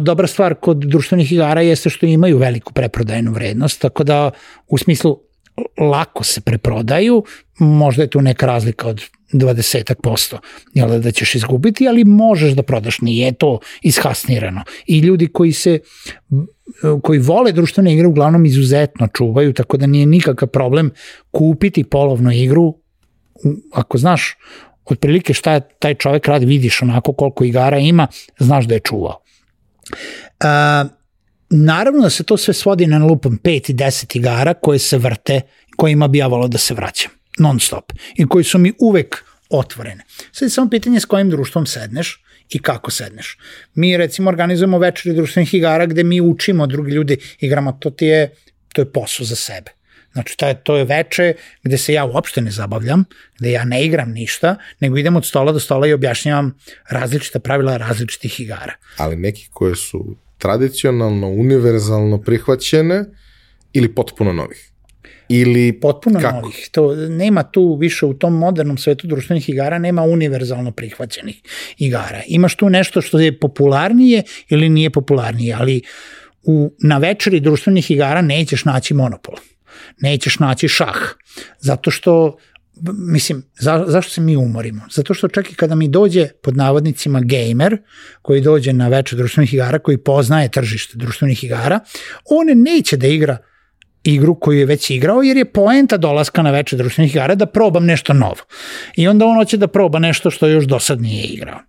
Speaker 2: Dobra stvar kod društvenih igara jeste što imaju veliku preprodajnu vrednost, tako da u smislu lako se preprodaju, možda je tu neka razlika od 20%, jel da ćeš izgubiti, ali možeš da prodaš, nije to ishasnirano. I ljudi koji vole društvene igre uglavnom izuzetno čuvaju, tako da nije nikakav problem kupiti polovnu igru, ako znaš otprilike šta taj čovek radi, vidiš onako koliko igara ima, znaš da je čuvao. Naravno da se to sve svodi na lupom 5 i 10 igara koje se vrte, kojima bi ja volao da se vraćam, non stop, i koji su mi uvek otvorene. Sad je samo pitanje s kojim društvom sedneš i kako sedneš. Mi recimo organizujemo večeri društvenih igara gde mi učimo drugi ljudi igrama, to je posao za sebe. Znači, to je veče gde se ja uopšte ne zabavljam, gde ja ne igram ništa, nego idem od stola do stola i objašnjavam različita pravila različitih igara.
Speaker 1: Ali neki koje su tradicionalno, univerzalno prihvaćene ili potpuno novih? Ili
Speaker 2: potpuno
Speaker 1: kako?
Speaker 2: Novih. Nema tu više u tom modernom svetu društvenih igara, nema univerzalno prihvaćenih igara. Imaš tu nešto što je popularnije ili nije popularnije, ali na večeri društvenih igara nećeš naći Monopol. Nećeš naći šah, zato što, mislim, zašto se mi umorimo? Zato što čak i kada mi dođe, pod navodnicima, gamer, koji dođe na večer društvenih igara, koji poznaje tržište društvenih igara, on neće da igra igru koju je već igrao, jer je poenta dolaska na večer društvenih igara da probam nešto novo. I onda on hoće da proba nešto što još do sad nije igrao.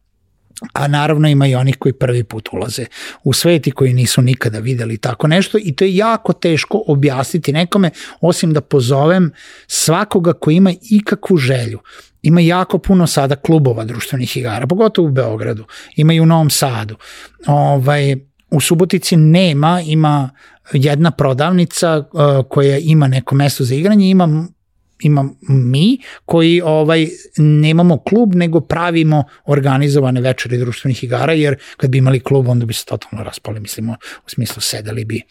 Speaker 2: A naravno ima i onih koji prvi put ulaze u svet i koji nisu nikada videli tako nešto i to je jako teško objasniti nekome, osim da pozovem svakoga koji ima ikakvu želju. Ima jako puno sada klubova društvenih igara, pogotovo u Beogradu, ima i u Novom Sadu. U Subotici ima jedna prodavnica koja ima neko mesto za igranje, imam mi koji nemamo klub, nego pravimo organizovane večeri društvenih igara, jer kad bi imali klub, onda bi se totalno raspali, mislimo, u smislu sedeli bi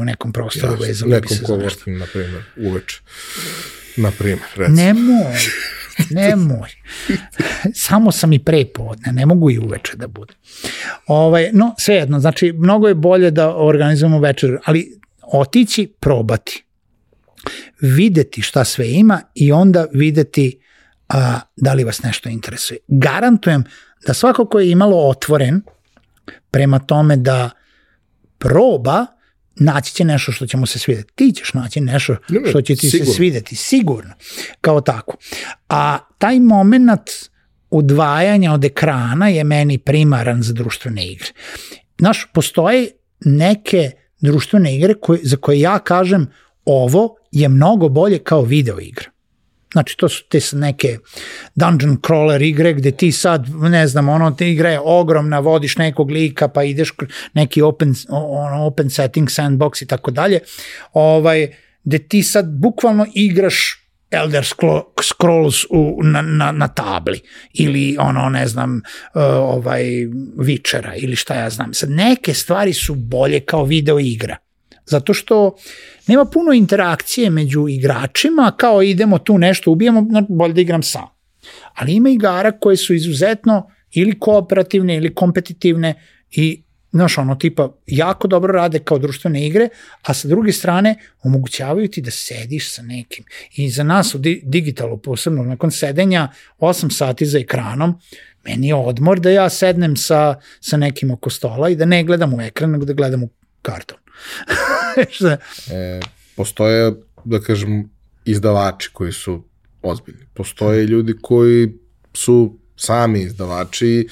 Speaker 2: u nekom prostoru, vezali bi se za nešto.
Speaker 1: Nekom na primjer, uveče. Na primjer, recimo.
Speaker 2: Nemoj. Samo sam i prepodne, ne mogu i uveče da bude. No, svejedno, znači, mnogo je bolje da organizujemo večer, ali otići, probati. Videti šta sve ima i onda videti da li vas nešto interesuje. Garantujem da svako ko je imalo otvoren prema tome da proba, naći će nešto što će mu se svideti. Ti ćeš naći nešto što će ti se svideti, sigurno, kao tako. A taj moment udvajanja od ekrana je meni primaran za društvene igre. Znaš, postoje neke društvene igre za koje ja kažem ovo je mnogo bolje kao video igra. Znači, to su te neke dungeon crawler igre gde ti sad, ne znam, te igra je ogromna, vodiš nekog lika pa ideš neki open setting, sandbox i tako dalje, gde ti sad bukvalno igraš Elder Scrolls na tabli ili ne znam Witchera ili šta ja znam. Sad neke stvari su bolje kao video igra. Zato što nema puno interakcije među igračima, kao idemo tu nešto ubijamo, bolje da igram sam. Ali ima igara koje su izuzetno ili kooperativne ili kompetitivne i tipa jako dobro rade kao društvene igre, a sa druge strane omogućavaju ti da sediš sa nekim. I za nas u digitalu, posebno nakon sedenja 8 sati za ekranom, meni je odmor da ja sednem sa nekim oko stola i da ne gledam u ekran, nego da gledam u karton.
Speaker 1: Postoje, da kažem, izdavači koji su ozbiljni. Postoje ljudi koji su sami izdavači.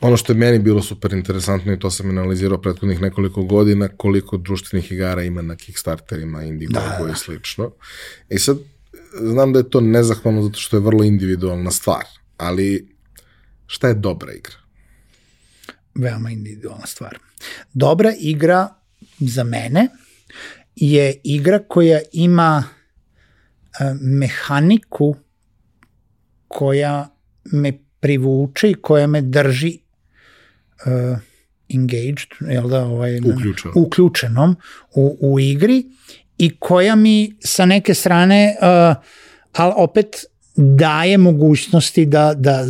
Speaker 1: Ono što je meni bilo super interesantno i to sam analizirao prethodnih nekoliko godina, koliko društvenih igara ima na Kickstarterima, Indiegogu i slično. I sad, znam da je to nezahvalno zato što je vrlo individualna stvar, ali šta je dobra igra?
Speaker 2: Veoma individualna stvar. Dobra igra za mene je igra koja ima mehaniku koja me privuče i koja me drži engaged, uključenom u igri i koja mi sa neke strane, ali opet daje mogućnosti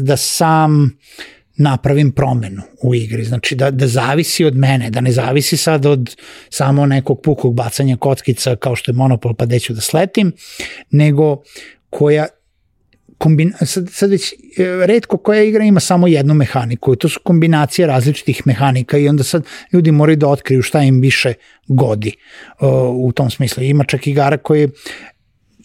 Speaker 2: da sam napravim promenu u igri, znači da zavisi od mene, da ne zavisi sad od samo nekog pukog bacanja kockica kao što je Monopol pa deću da sletim, nego koja sad već retko koja igra ima samo jednu mehaniku, to su kombinacije različitih mehanika i onda sad ljudi moraju da otkriju šta im više godi u tom smislu. Ima čak igara koje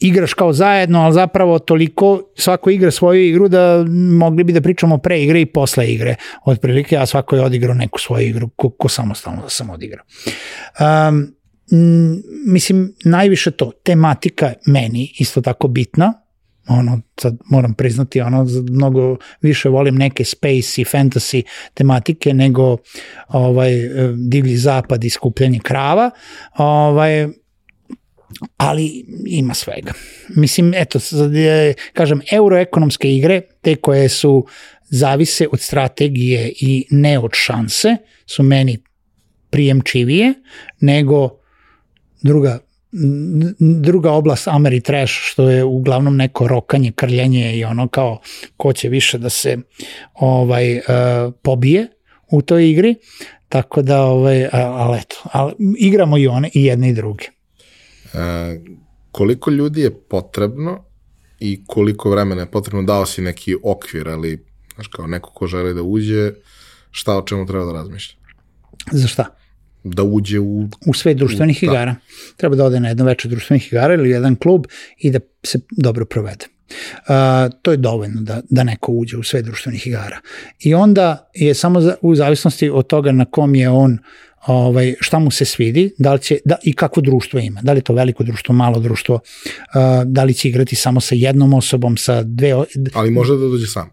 Speaker 2: igraš kao zajedno, ali zapravo toliko svako igra svoju igru da mogli bi da pričamo pre igre i posle igre. Otprilike, a svako je odigrao neku svoju igru, ko samostalno da sam odigrao. Mislim, najviše to, tematika meni isto tako bitna, sad moram priznati, mnogo više volim neke space i fantasy tematike nego divlji zapad i skupljanje krava, ali ima svega. Mislim, eto, kažem, euroekonomske igre, te koje su zavise od strategije i ne od šanse, su meni prijemčivije nego druga oblast Ameritrash, što je uglavnom neko rokanje, krljenje i kao ko će više da se pobije u toj igri, tako da ali igramo i one i jedne i druge.
Speaker 1: Koliko ljudi je potrebno i koliko vremena je potrebno, dao si neki okvir, ali znaš, kao neko ko želi da uđe, šta o čemu treba da razmišlja?
Speaker 2: Za šta?
Speaker 1: Da uđe
Speaker 2: u svet društvenih igara. Treba da ode na jedno večer društvenih igara ili jedan klub i da se dobro provede. To je dovoljno da neko uđe u svet društvenih igara. I onda je samo u zavisnosti od toga na kom je on, šta mu se svidi, da li će, i kakvo društvo ima, da li je to veliko društvo, malo društvo, da li će igrati samo sa jednom osobom, sa dve...
Speaker 1: Ali može da dođe sam.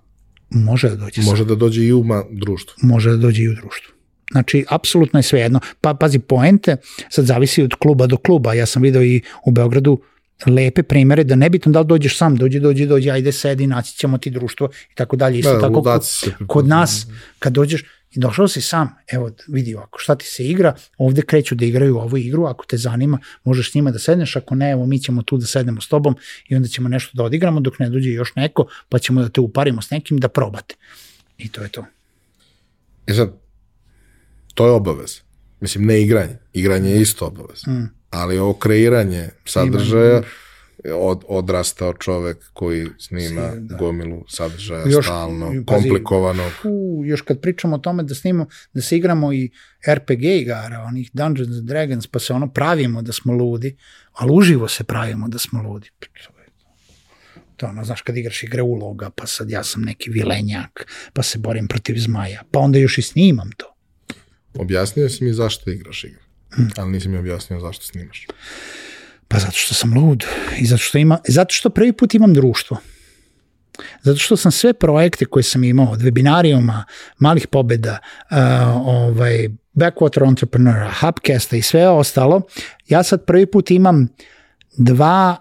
Speaker 2: Može da dođe sam.
Speaker 1: Može da dođe i u društvu.
Speaker 2: Može da dođe i u društvu. Znači, apsolutno je sve jedno. Pazi, poente sad zavisi od kluba do kluba. Ja sam video i u Beogradu lepe primere da nebitno da li dođeš sam, dođi, ajde sedi, naći ćemo ti društvo i tako dalje. Isto tako kod nas, kad dođeš i došao si sam, evo vidi ovako, šta ti se igra, ovde kreću da igraju ovu igru, ako te zanima, možeš s njima da sedneš, ako ne, evo mi ćemo tu da sednemo s tobom i onda ćemo nešto da odigramo dok ne dođe još neko, pa ćemo da te uparimo s nekim da probate. I to je to.
Speaker 1: Sad, to je obavez. Mislim, ne igranje. Igranje je isto obavez. Ali ovo kreiranje sadržaja, odrastao čovek koji snima gomilu sadržaja stalno, komplikovanog.
Speaker 2: Još kad pričamo o tome da se igramo i RPG igara, onih Dungeons and Dragons, pa se pravimo da smo ludi, ali uživo se pravimo da smo ludi. To znaš, kad igraš igre uloga, pa sad ja sam neki vilenjak, pa se borim protiv zmaja, pa onda još i snimam to.
Speaker 1: Objasnio si mi zašto igraš igre, ali nisi mi objasnio zašto snimaš.
Speaker 2: Pa zato što sam lud i zato što prvi put imam društvo. Zato što sam sve projekte koje sam imao, od webinarijuma, malih pobeda, Backwater Entrepreneur, Hubcasta i sve ostalo, ja sad prvi put imam dva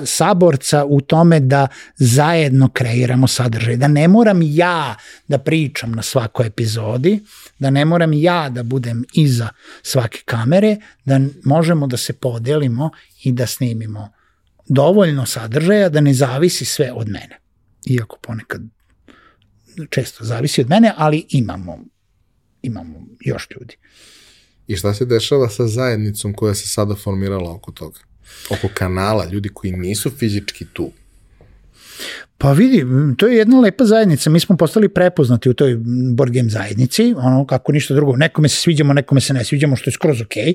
Speaker 2: saborca u tome da zajedno kreiramo sadržaj, da ne moram ja da pričam na svakoj epizodi, da ne moram ja da budem iza svake kamere, da možemo da se podelimo i da snimimo dovoljno sadržaja da ne zavisi sve od mene. Iako ponekad često zavisi od mene, ali imamo još ljudi.
Speaker 1: I šta se dešava sa zajednicom koja se sada formirala oko toga? Oko kanala, ljudi koji nisu fizički tu?
Speaker 2: Pa vidi, to je jedna lepa zajednica, mi smo postali prepoznati u toj board game zajednici, ono kako ništa drugo, nekome se sviđamo, nekome se ne sviđamo, što je skroz okej.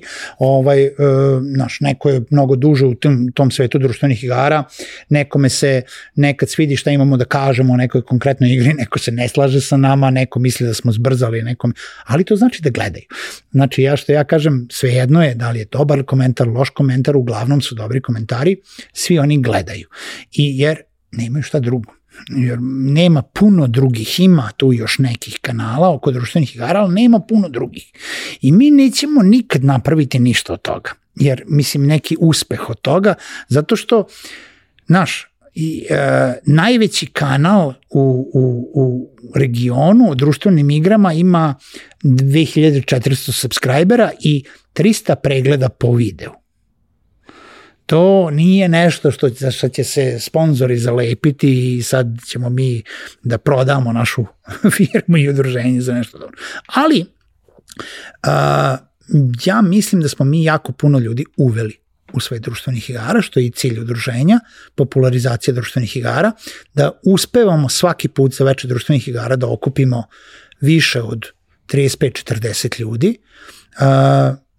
Speaker 2: Neko je mnogo duže u tom svetu društvenih igara, nekome se nekad svidi šta imamo da kažemo o nekoj konkretnoj igri, neko se ne slaže sa nama, neko misli da smo zbrzali, ali to znači da gledaju. Znači, ja kažem, svejedno je da li je dobar komentar, loš komentar, uglavnom su dobri komentari, svi oni gledaju. Jer nemaju šta drugo, jer nema puno drugih, ima tu još nekih kanala oko društvenih igara, ali nema puno drugih. I mi nećemo nikad napraviti ništa od toga, jer mislim neki uspeh od toga, zato što najveći kanal u regionu o društvenim igrama ima 2400 subscribera i 300 pregleda po videu. To nije nešto što će se sponzori zalepiti i sad ćemo mi da prodamo našu firmu i udruženje za nešto dobro. Ali ja mislim da smo mi jako puno ljudi uveli u sve društvenih igara, što je i cilj udruženja, popularizacija društvenih igara, da uspevamo svaki put za veče društvenih igara da okupimo više od 35-40 ljudi.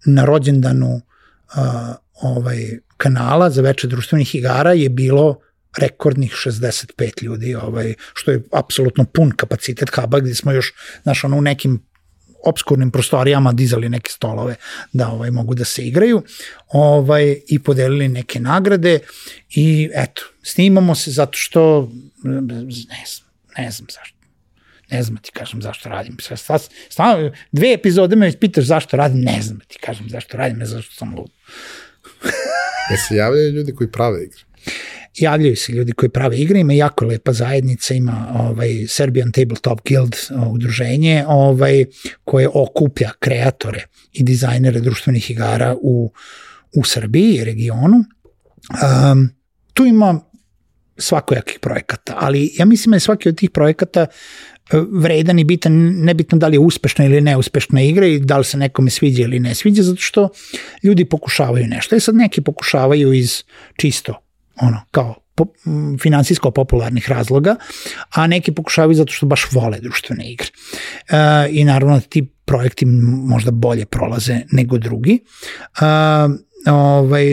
Speaker 2: Na rođendanu kanala za veče društvenih igara je bilo rekordnih 65 ljudi, što je apsolutno pun kapacitet huba, gde smo još u nekim obskurnim prostorijama dizali neke stolove da mogu da se igraju i podelili neke nagrade i eto, snimamo se zato što ne znam zašto. Ne znam ti kažem zašto radim. Stavno, 2 epizode me pitaš zašto radim, ne znam ti kažem zašto radim, ne zašto sam lud.
Speaker 1: Se javljaju ljudi koji prave igre?
Speaker 2: Javljaju se ljudi koji prave igre, ima jako lepa zajednica, ima Serbian Tabletop Guild udruženje koje okuplja kreatore i dizajnere društvenih igara u Srbiji i regionu. Tu ima svakojakih projekata, ali ja mislim da je svaki od tih projekata vredan i bitan, nebitno da li je uspešna ili neuspešna igra i da li se nekome sviđa ili ne sviđa, zato što ljudi pokušavaju nešto. I sad neki pokušavaju iz čisto kao finansijsko-popularnih razloga, a neki pokušavaju zato što baš vole društvene igre. I naravno da ti projekti možda bolje prolaze nego drugi.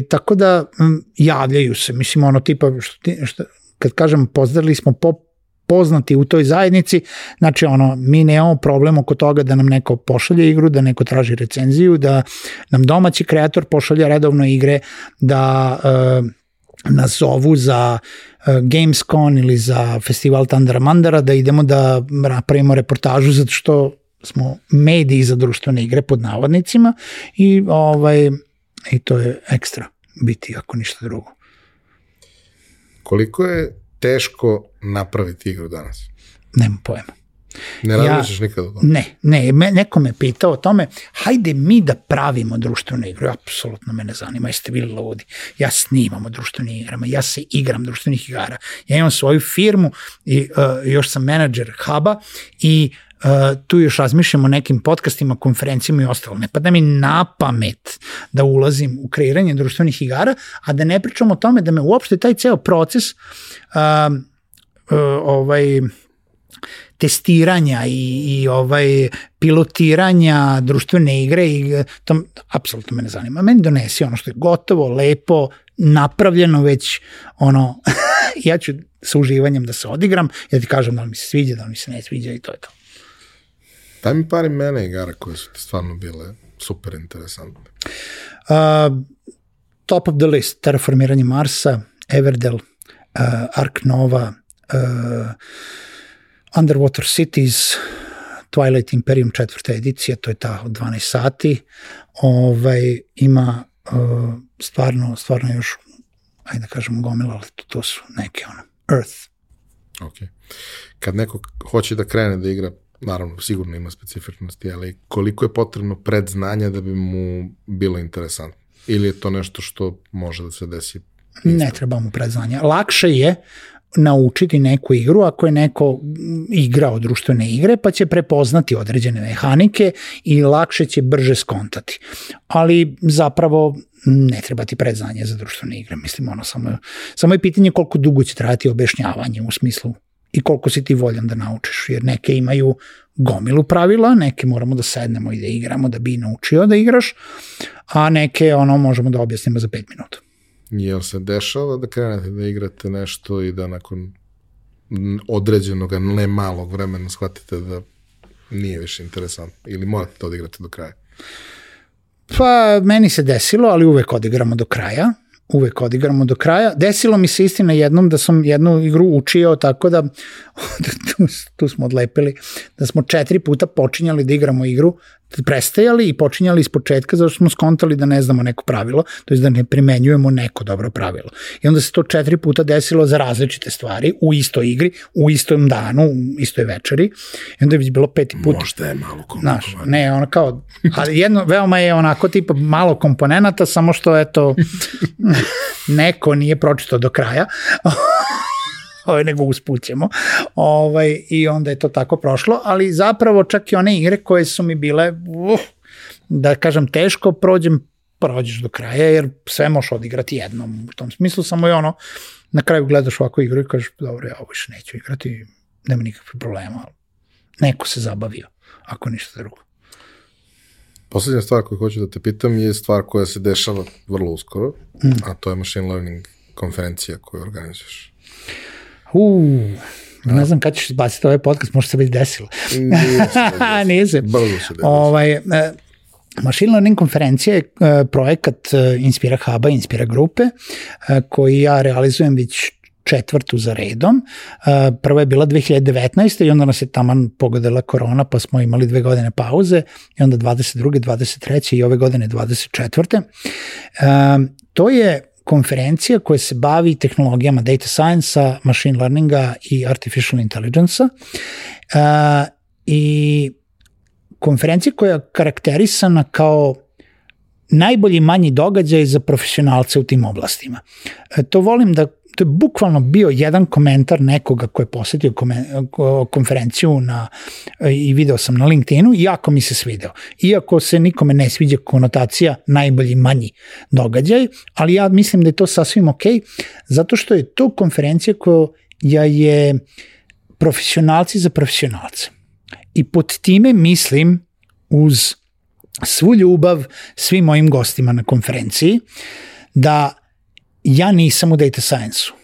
Speaker 2: Tako da javljaju se, mislim tipa, kad kažem pozdravili smo poznati u toj zajednici, znači mi nemamo problem oko toga da nam neko pošalje igru, da neko traži recenziju, da nam domaći kreator pošalje redovno igre, da nas zovu za Gamescon ili za festival Tandara Mandara, da idemo da napravimo reportažu zato što smo mediji za društvene igre pod navodnicima i to je ekstra biti ako ništa drugo.
Speaker 1: Koliko je teško napraviti igru danas?
Speaker 2: Nemam pojma.
Speaker 1: Ne razmišljaš nikada o tome?
Speaker 2: Ne, neko me pitao o tome, hajde mi da pravimo društvenu igru, apsolutno me ne zanima, jeste bili ludi, ja snimam o društvenim igrama, ja se igram društvenih igara, ja imam svoju firmu i još sam menadžer huba i tu još razmišljam o nekim podcastima, konferencijama i ostalo. Ne pada mi na pamet da ulazim u kreiranje društvenih igara, a da ne pričam o tome da me uopšte taj ceo proces testiranja i pilotiranja društvene igre i to apsolutno me ne zanima. Meni donesi ono što je gotovo, lepo, napravljeno već ja ću sa uživanjem da se odigram, ja ti kažem da li mi se sviđa, da li mi se ne sviđa i to je to.
Speaker 1: Daj mi par imena igara koje su ti stvarno bile super interesantne.
Speaker 2: Top of the list, Terraformiranje Marsa, Everdell, Ark Nova, Underwater Cities, Twilight Imperium 4. edicija, to je ta od 12 sati, ima stvarno još, ajde da kažemo gomila, ali to su neke Earth.
Speaker 1: Ok. Kad neko hoće da krene da igra, naravno, sigurno ima specifičnosti, ali koliko je potrebno predznanja da bi mu bilo interesantno? Ili je to nešto što može da se desi?
Speaker 2: Ne treba mu predznanja. Lakše je naučiti neku igru ako je neko igrao društvene igre, pa će prepoznati određene mehanike i lakše će brže skontati. Ali zapravo ne treba ti predznanje za društvene igre. Mislim, samo je pitanje koliko dugo će trajati objašnjavanje u smislu i koliko si ti voljan da naučiš, jer neke imaju gomilu pravila, neke moramo da sednemo i da igramo da bi naučio da igraš, a neke možemo da objasnimo za 5 minuta.
Speaker 1: Jel se dešava da krenete da igrate nešto i da nakon određenog, ne malog vremena shvatite da nije više interesantno ili morate to odigrati do kraja?
Speaker 2: Pa, meni se desilo, ali uvek odigramo do kraja. Desilo mi se istina jednom da sam jednu igru učio tako da, tu smo odlepili, da smo 4 puta počinjali da igramo igru, prestajali i počinjali iz početka zato što smo skontali da ne znamo neko pravilo, to je da ne primenjujemo neko dobro pravilo. I onda se to 4 puta desilo za različite stvari, u istoj igri, u istom danu, u istoj večeri. I onda je već bilo 5. put.
Speaker 1: Možda je malo komplikovano.
Speaker 2: Ne, ali veoma je onako tipa malo komponenata, samo što neko nije pročitao do kraja. Nego uspućemo. I onda je to tako prošlo, ali zapravo čak i one igre koje su mi bile, da kažem, teško, prođeš do kraja, jer sve možeš odigrati jednom. U tom smislu samo je na kraju gledaš ovako igru i kažeš, dobro, ja ovo više neću igrati, nema nikakve problema. Neko se zabavio, ako ništa drugo.
Speaker 1: Poslednja stvar koju hoću da te pitam je stvar koja se dešava vrlo uskoro, a to je machine learning konferencija koju organizuješ.
Speaker 2: Ne znam kada ćeš izbaciti ovaj podcast, možda se već desilo. Nije se.
Speaker 1: Brzo se desilo.
Speaker 2: Machine learning konferencija je projekat Inspira Huba, Inspira grupe, koji ja realizujem već 4. za redom. Prva je bila 2019. i onda nas je taman pogodila korona, pa smo imali 2 godine pauze i onda 22. 23. i ove godine 24. To je konferencija koja se bavi tehnologijama data science-a, machine learninga i artificial intelligence-a i konferencija koja je karakterisana kao najbolji manji događaj za profesionalce u tim oblastima. To je bukvalno bio jedan komentar nekoga ko je posetio konferenciju i video sam na LinkedInu i jako mi se svideo. Iako se nikome ne sviđa konotacija najbolji manji događaj, ali ja mislim da je to sasvim ok, zato što je to konferencija koja je profesionalci za profesionalce. I pod time mislim uz svu ljubav svim mojim gostima na konferenciji da ja nisam u data science-u.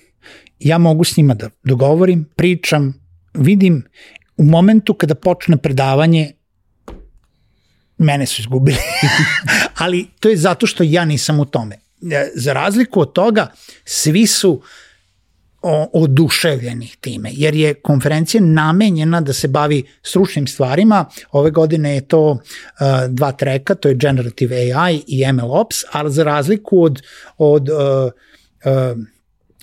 Speaker 2: Ja mogu s njima da dogovorim, pričam, vidim u momentu kada počne predavanje mene su izgubili. Ali to je zato što ja nisam u tome. Za razliku od toga, svi su oduševljeni time, jer je konferencija namenjena da se bavi stručnim stvarima. Ove godine je to 2 treka, to je Generative AI i MLOps, ali za razliku od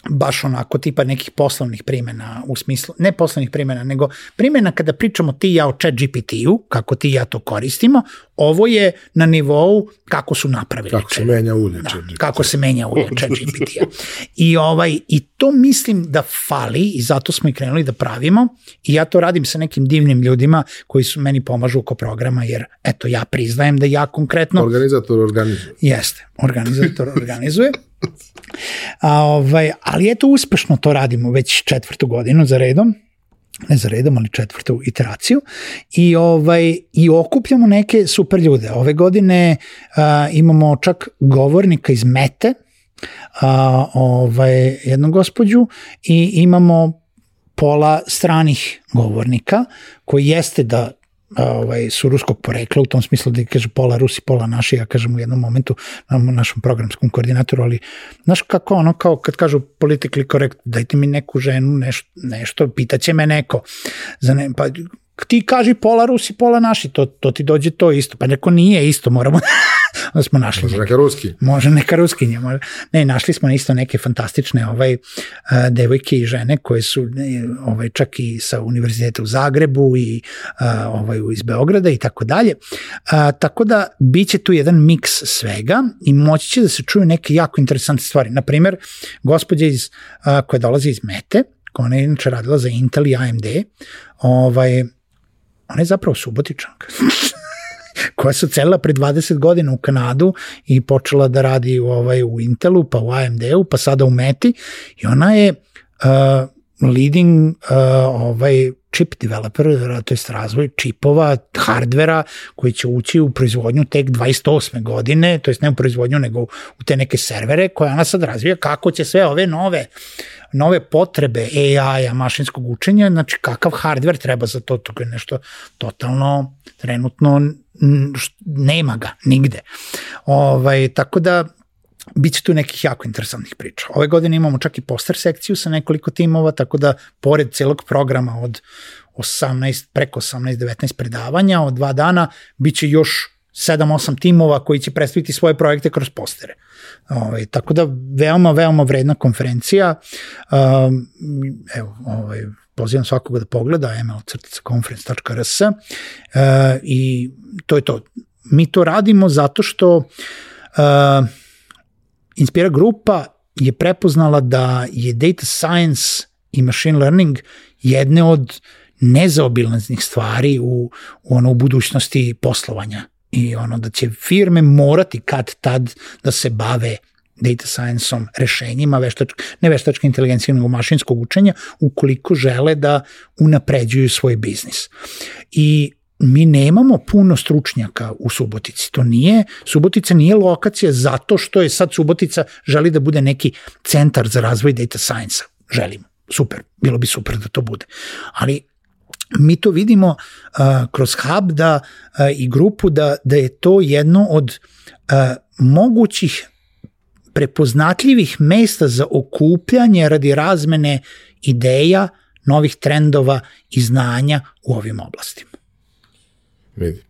Speaker 2: baš onako tipa nekih poslovnih primjena, u smislu, ne poslovnih primjena, nego primjena kada pričamo ti i ja o ChatGPT-u, kako ti i ja to koristimo, ovo je na nivou kako su napravili.
Speaker 1: Kako se menja ulje ChatGPT.
Speaker 2: Kako se menja ulje ChatGPT-a. I to mislim da fali i zato smo i krenuli da pravimo i ja to radim sa nekim divnim ljudima koji su meni pomažu oko programa, jer eto ja priznajem da ja konkretno...
Speaker 1: Organizator organizuje.
Speaker 2: Jeste, organizator organizuje. Ali eto uspešno to radimo već 4. godinu za redom, ne za redom, ali 4. iteraciju i okupljamo neke super ljude. Ove godine imamo čak govornika iz Mete, jednu gospođu i imamo pola stranih govornika koji jeste da su ruskog porekla, u tom smislu da kaže pola Rusi, pola naši, ja kažem u jednom momentu na našem programskom koordinatoru, ali znaš kako kao kad kažu politically correct, dajte mi neku ženu, nešto, pitaće me neko, pa ti kaži pola Rusi, pola naši, to ti dođe to isto. Pa neko nije isto, moramo da smo našli.
Speaker 1: Može neka ruski.
Speaker 2: Može neka ruskinja. Ne, našli smo isto neke fantastične devojke i žene koje su čak i sa univerziteta u Zagrebu i iz Beograda i tako dalje. Tako da biće tu jedan miks svega i moći će da se čuju neke jako interesantne stvari. Naprimer, gospođa koja dolazi iz Mete, ona je inače radila za Intel i AMD, ona je zapravo Subotičanka, koja se odselila pre 20 godina u Kanadu i počela da radi u Intelu, pa u AMD-u, pa sada u Meti, i ona je leading chip developer, to je razvoj čipova, hardvera koji će ući u proizvodnju tek 28. godine, to je ne u proizvodnju nego u te neke servere koje ona sad razvija, kako će sve ove nove potrebe AI-a, mašinskog učenja, znači kakav hardver treba za to, to je nešto totalno trenutno nema ga nigde. Tako da biće tu nekih jako interesantnih priča. Ove godine imamo čak i poster sekciju sa nekoliko timova, tako da pored celog programa od 18-19 predavanja od 2 dana, biće još 7-8 timova koji će predstaviti svoje projekte kroz postere. Tako da veoma, veoma vredna konferencija. Pozivam svakoga da pogleda ml-conference.rs i to je to. Mi to radimo zato što Inspira grupa je prepoznala da je data science i machine learning jedne od nezaobilaznih stvari u budućnosti poslovanja i da će firme morati kad tad da se bave data science-om, rešenjima, ne veštačke inteligencije, nego mašinskog učenja, ukoliko žele da unapređuju svoj biznis. I mi nemamo puno stručnjaka u Subotici. Subotica nije lokacija zato što je sad Subotica želi da bude neki centar za razvoj data science-a. Želimo. Super. Bilo bi super da to bude. Ali mi to vidimo kroz hub i grupu da je to jedno od mogućih prepoznatljivih mesta za okupljanje radi razmene ideja, novih trendova i znanja u ovim oblastima.
Speaker 1: Vidi.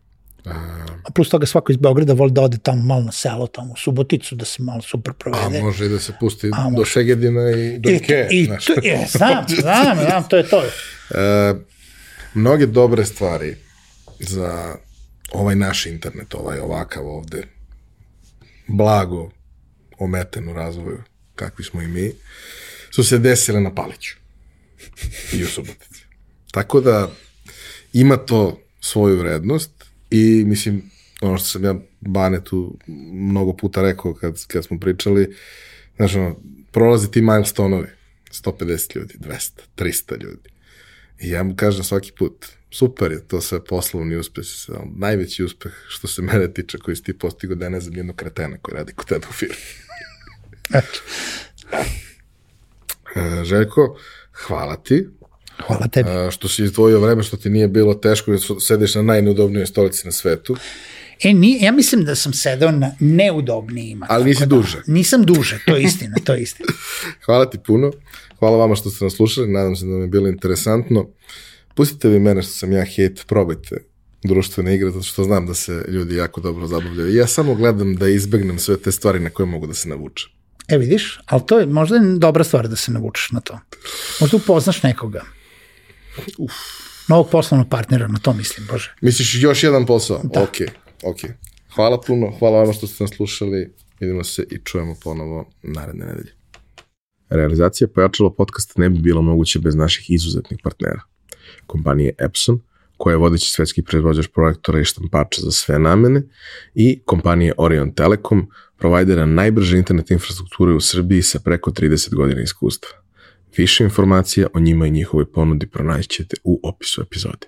Speaker 2: A plus toga svako iz Beograda voli da ode tamo malo na selo, tamo u Suboticu, da se malo super provede.
Speaker 1: A može i da se pusti do Šegedina i do Ikea.
Speaker 2: Znam, to je to.
Speaker 1: Mnoge dobre stvari za ovaj naš internet, ovakav ovde, blago ometen u razvoju, kakvi smo i mi, su se desile na Paliću i u Subotici. Tako da ima to svoju vrednost i mislim, ono što sam ja Banetu mnogo puta rekao kad smo pričali, znaš, prolazi ti milestone-ovi, 150 ljudi, 200, 300 ljudi. I ja mu kažem svaki put, super je to sve poslovni uspeh, najveći uspeh što se mene tiče koji si ti postigao da ne znam jednog kretena koji radi kod tebe u firmi. Željko, hvala ti.
Speaker 2: Hvala tebi.
Speaker 1: Što si izdvojio vreme, što ti nije bilo teško, jer sediš na najneudobnijoj stolici na svetu.
Speaker 2: Ja mislim da sam sedao na neudobnijima.
Speaker 1: Ali nisi duže.
Speaker 2: Nisam duže, to je istina,
Speaker 1: Hvala ti puno. Hvala vama što ste nas slušali, nadam se da vam je bilo interesantno. Pustite vi mene što sam ja hejt, probajte društvene igre, zato što znam da se ljudi jako dobro zabavljaju. Ja samo gledam da izbegnem sve te stvari na koje mogu da se navučem.
Speaker 2: Vidiš, ali to je možda dobra stvar da se navučeš na to. Možda upoznaš nekoga. Novog poslovnog partnera, na to mislim, Bože.
Speaker 1: Misliš još jedan posao?
Speaker 2: Da.
Speaker 1: Ok. Hvala puno, hvala vama što ste nas slušali. Vidimo se i čujemo ponovo naredne nedelje. Realizacija Pojačalo podcasta ne bi bilo moguće bez naših izuzetnih partnera. Kompanije Epson, koja je vodeći svetski proizvođač projektora i štampača za sve namene, i kompanije Orion Telekom, provajdera najbrže internet infrastrukture u Srbiji sa preko 30 godina iskustva. Više informacija o njima i njihovoj ponudi pronaći ćete u opisu epizode.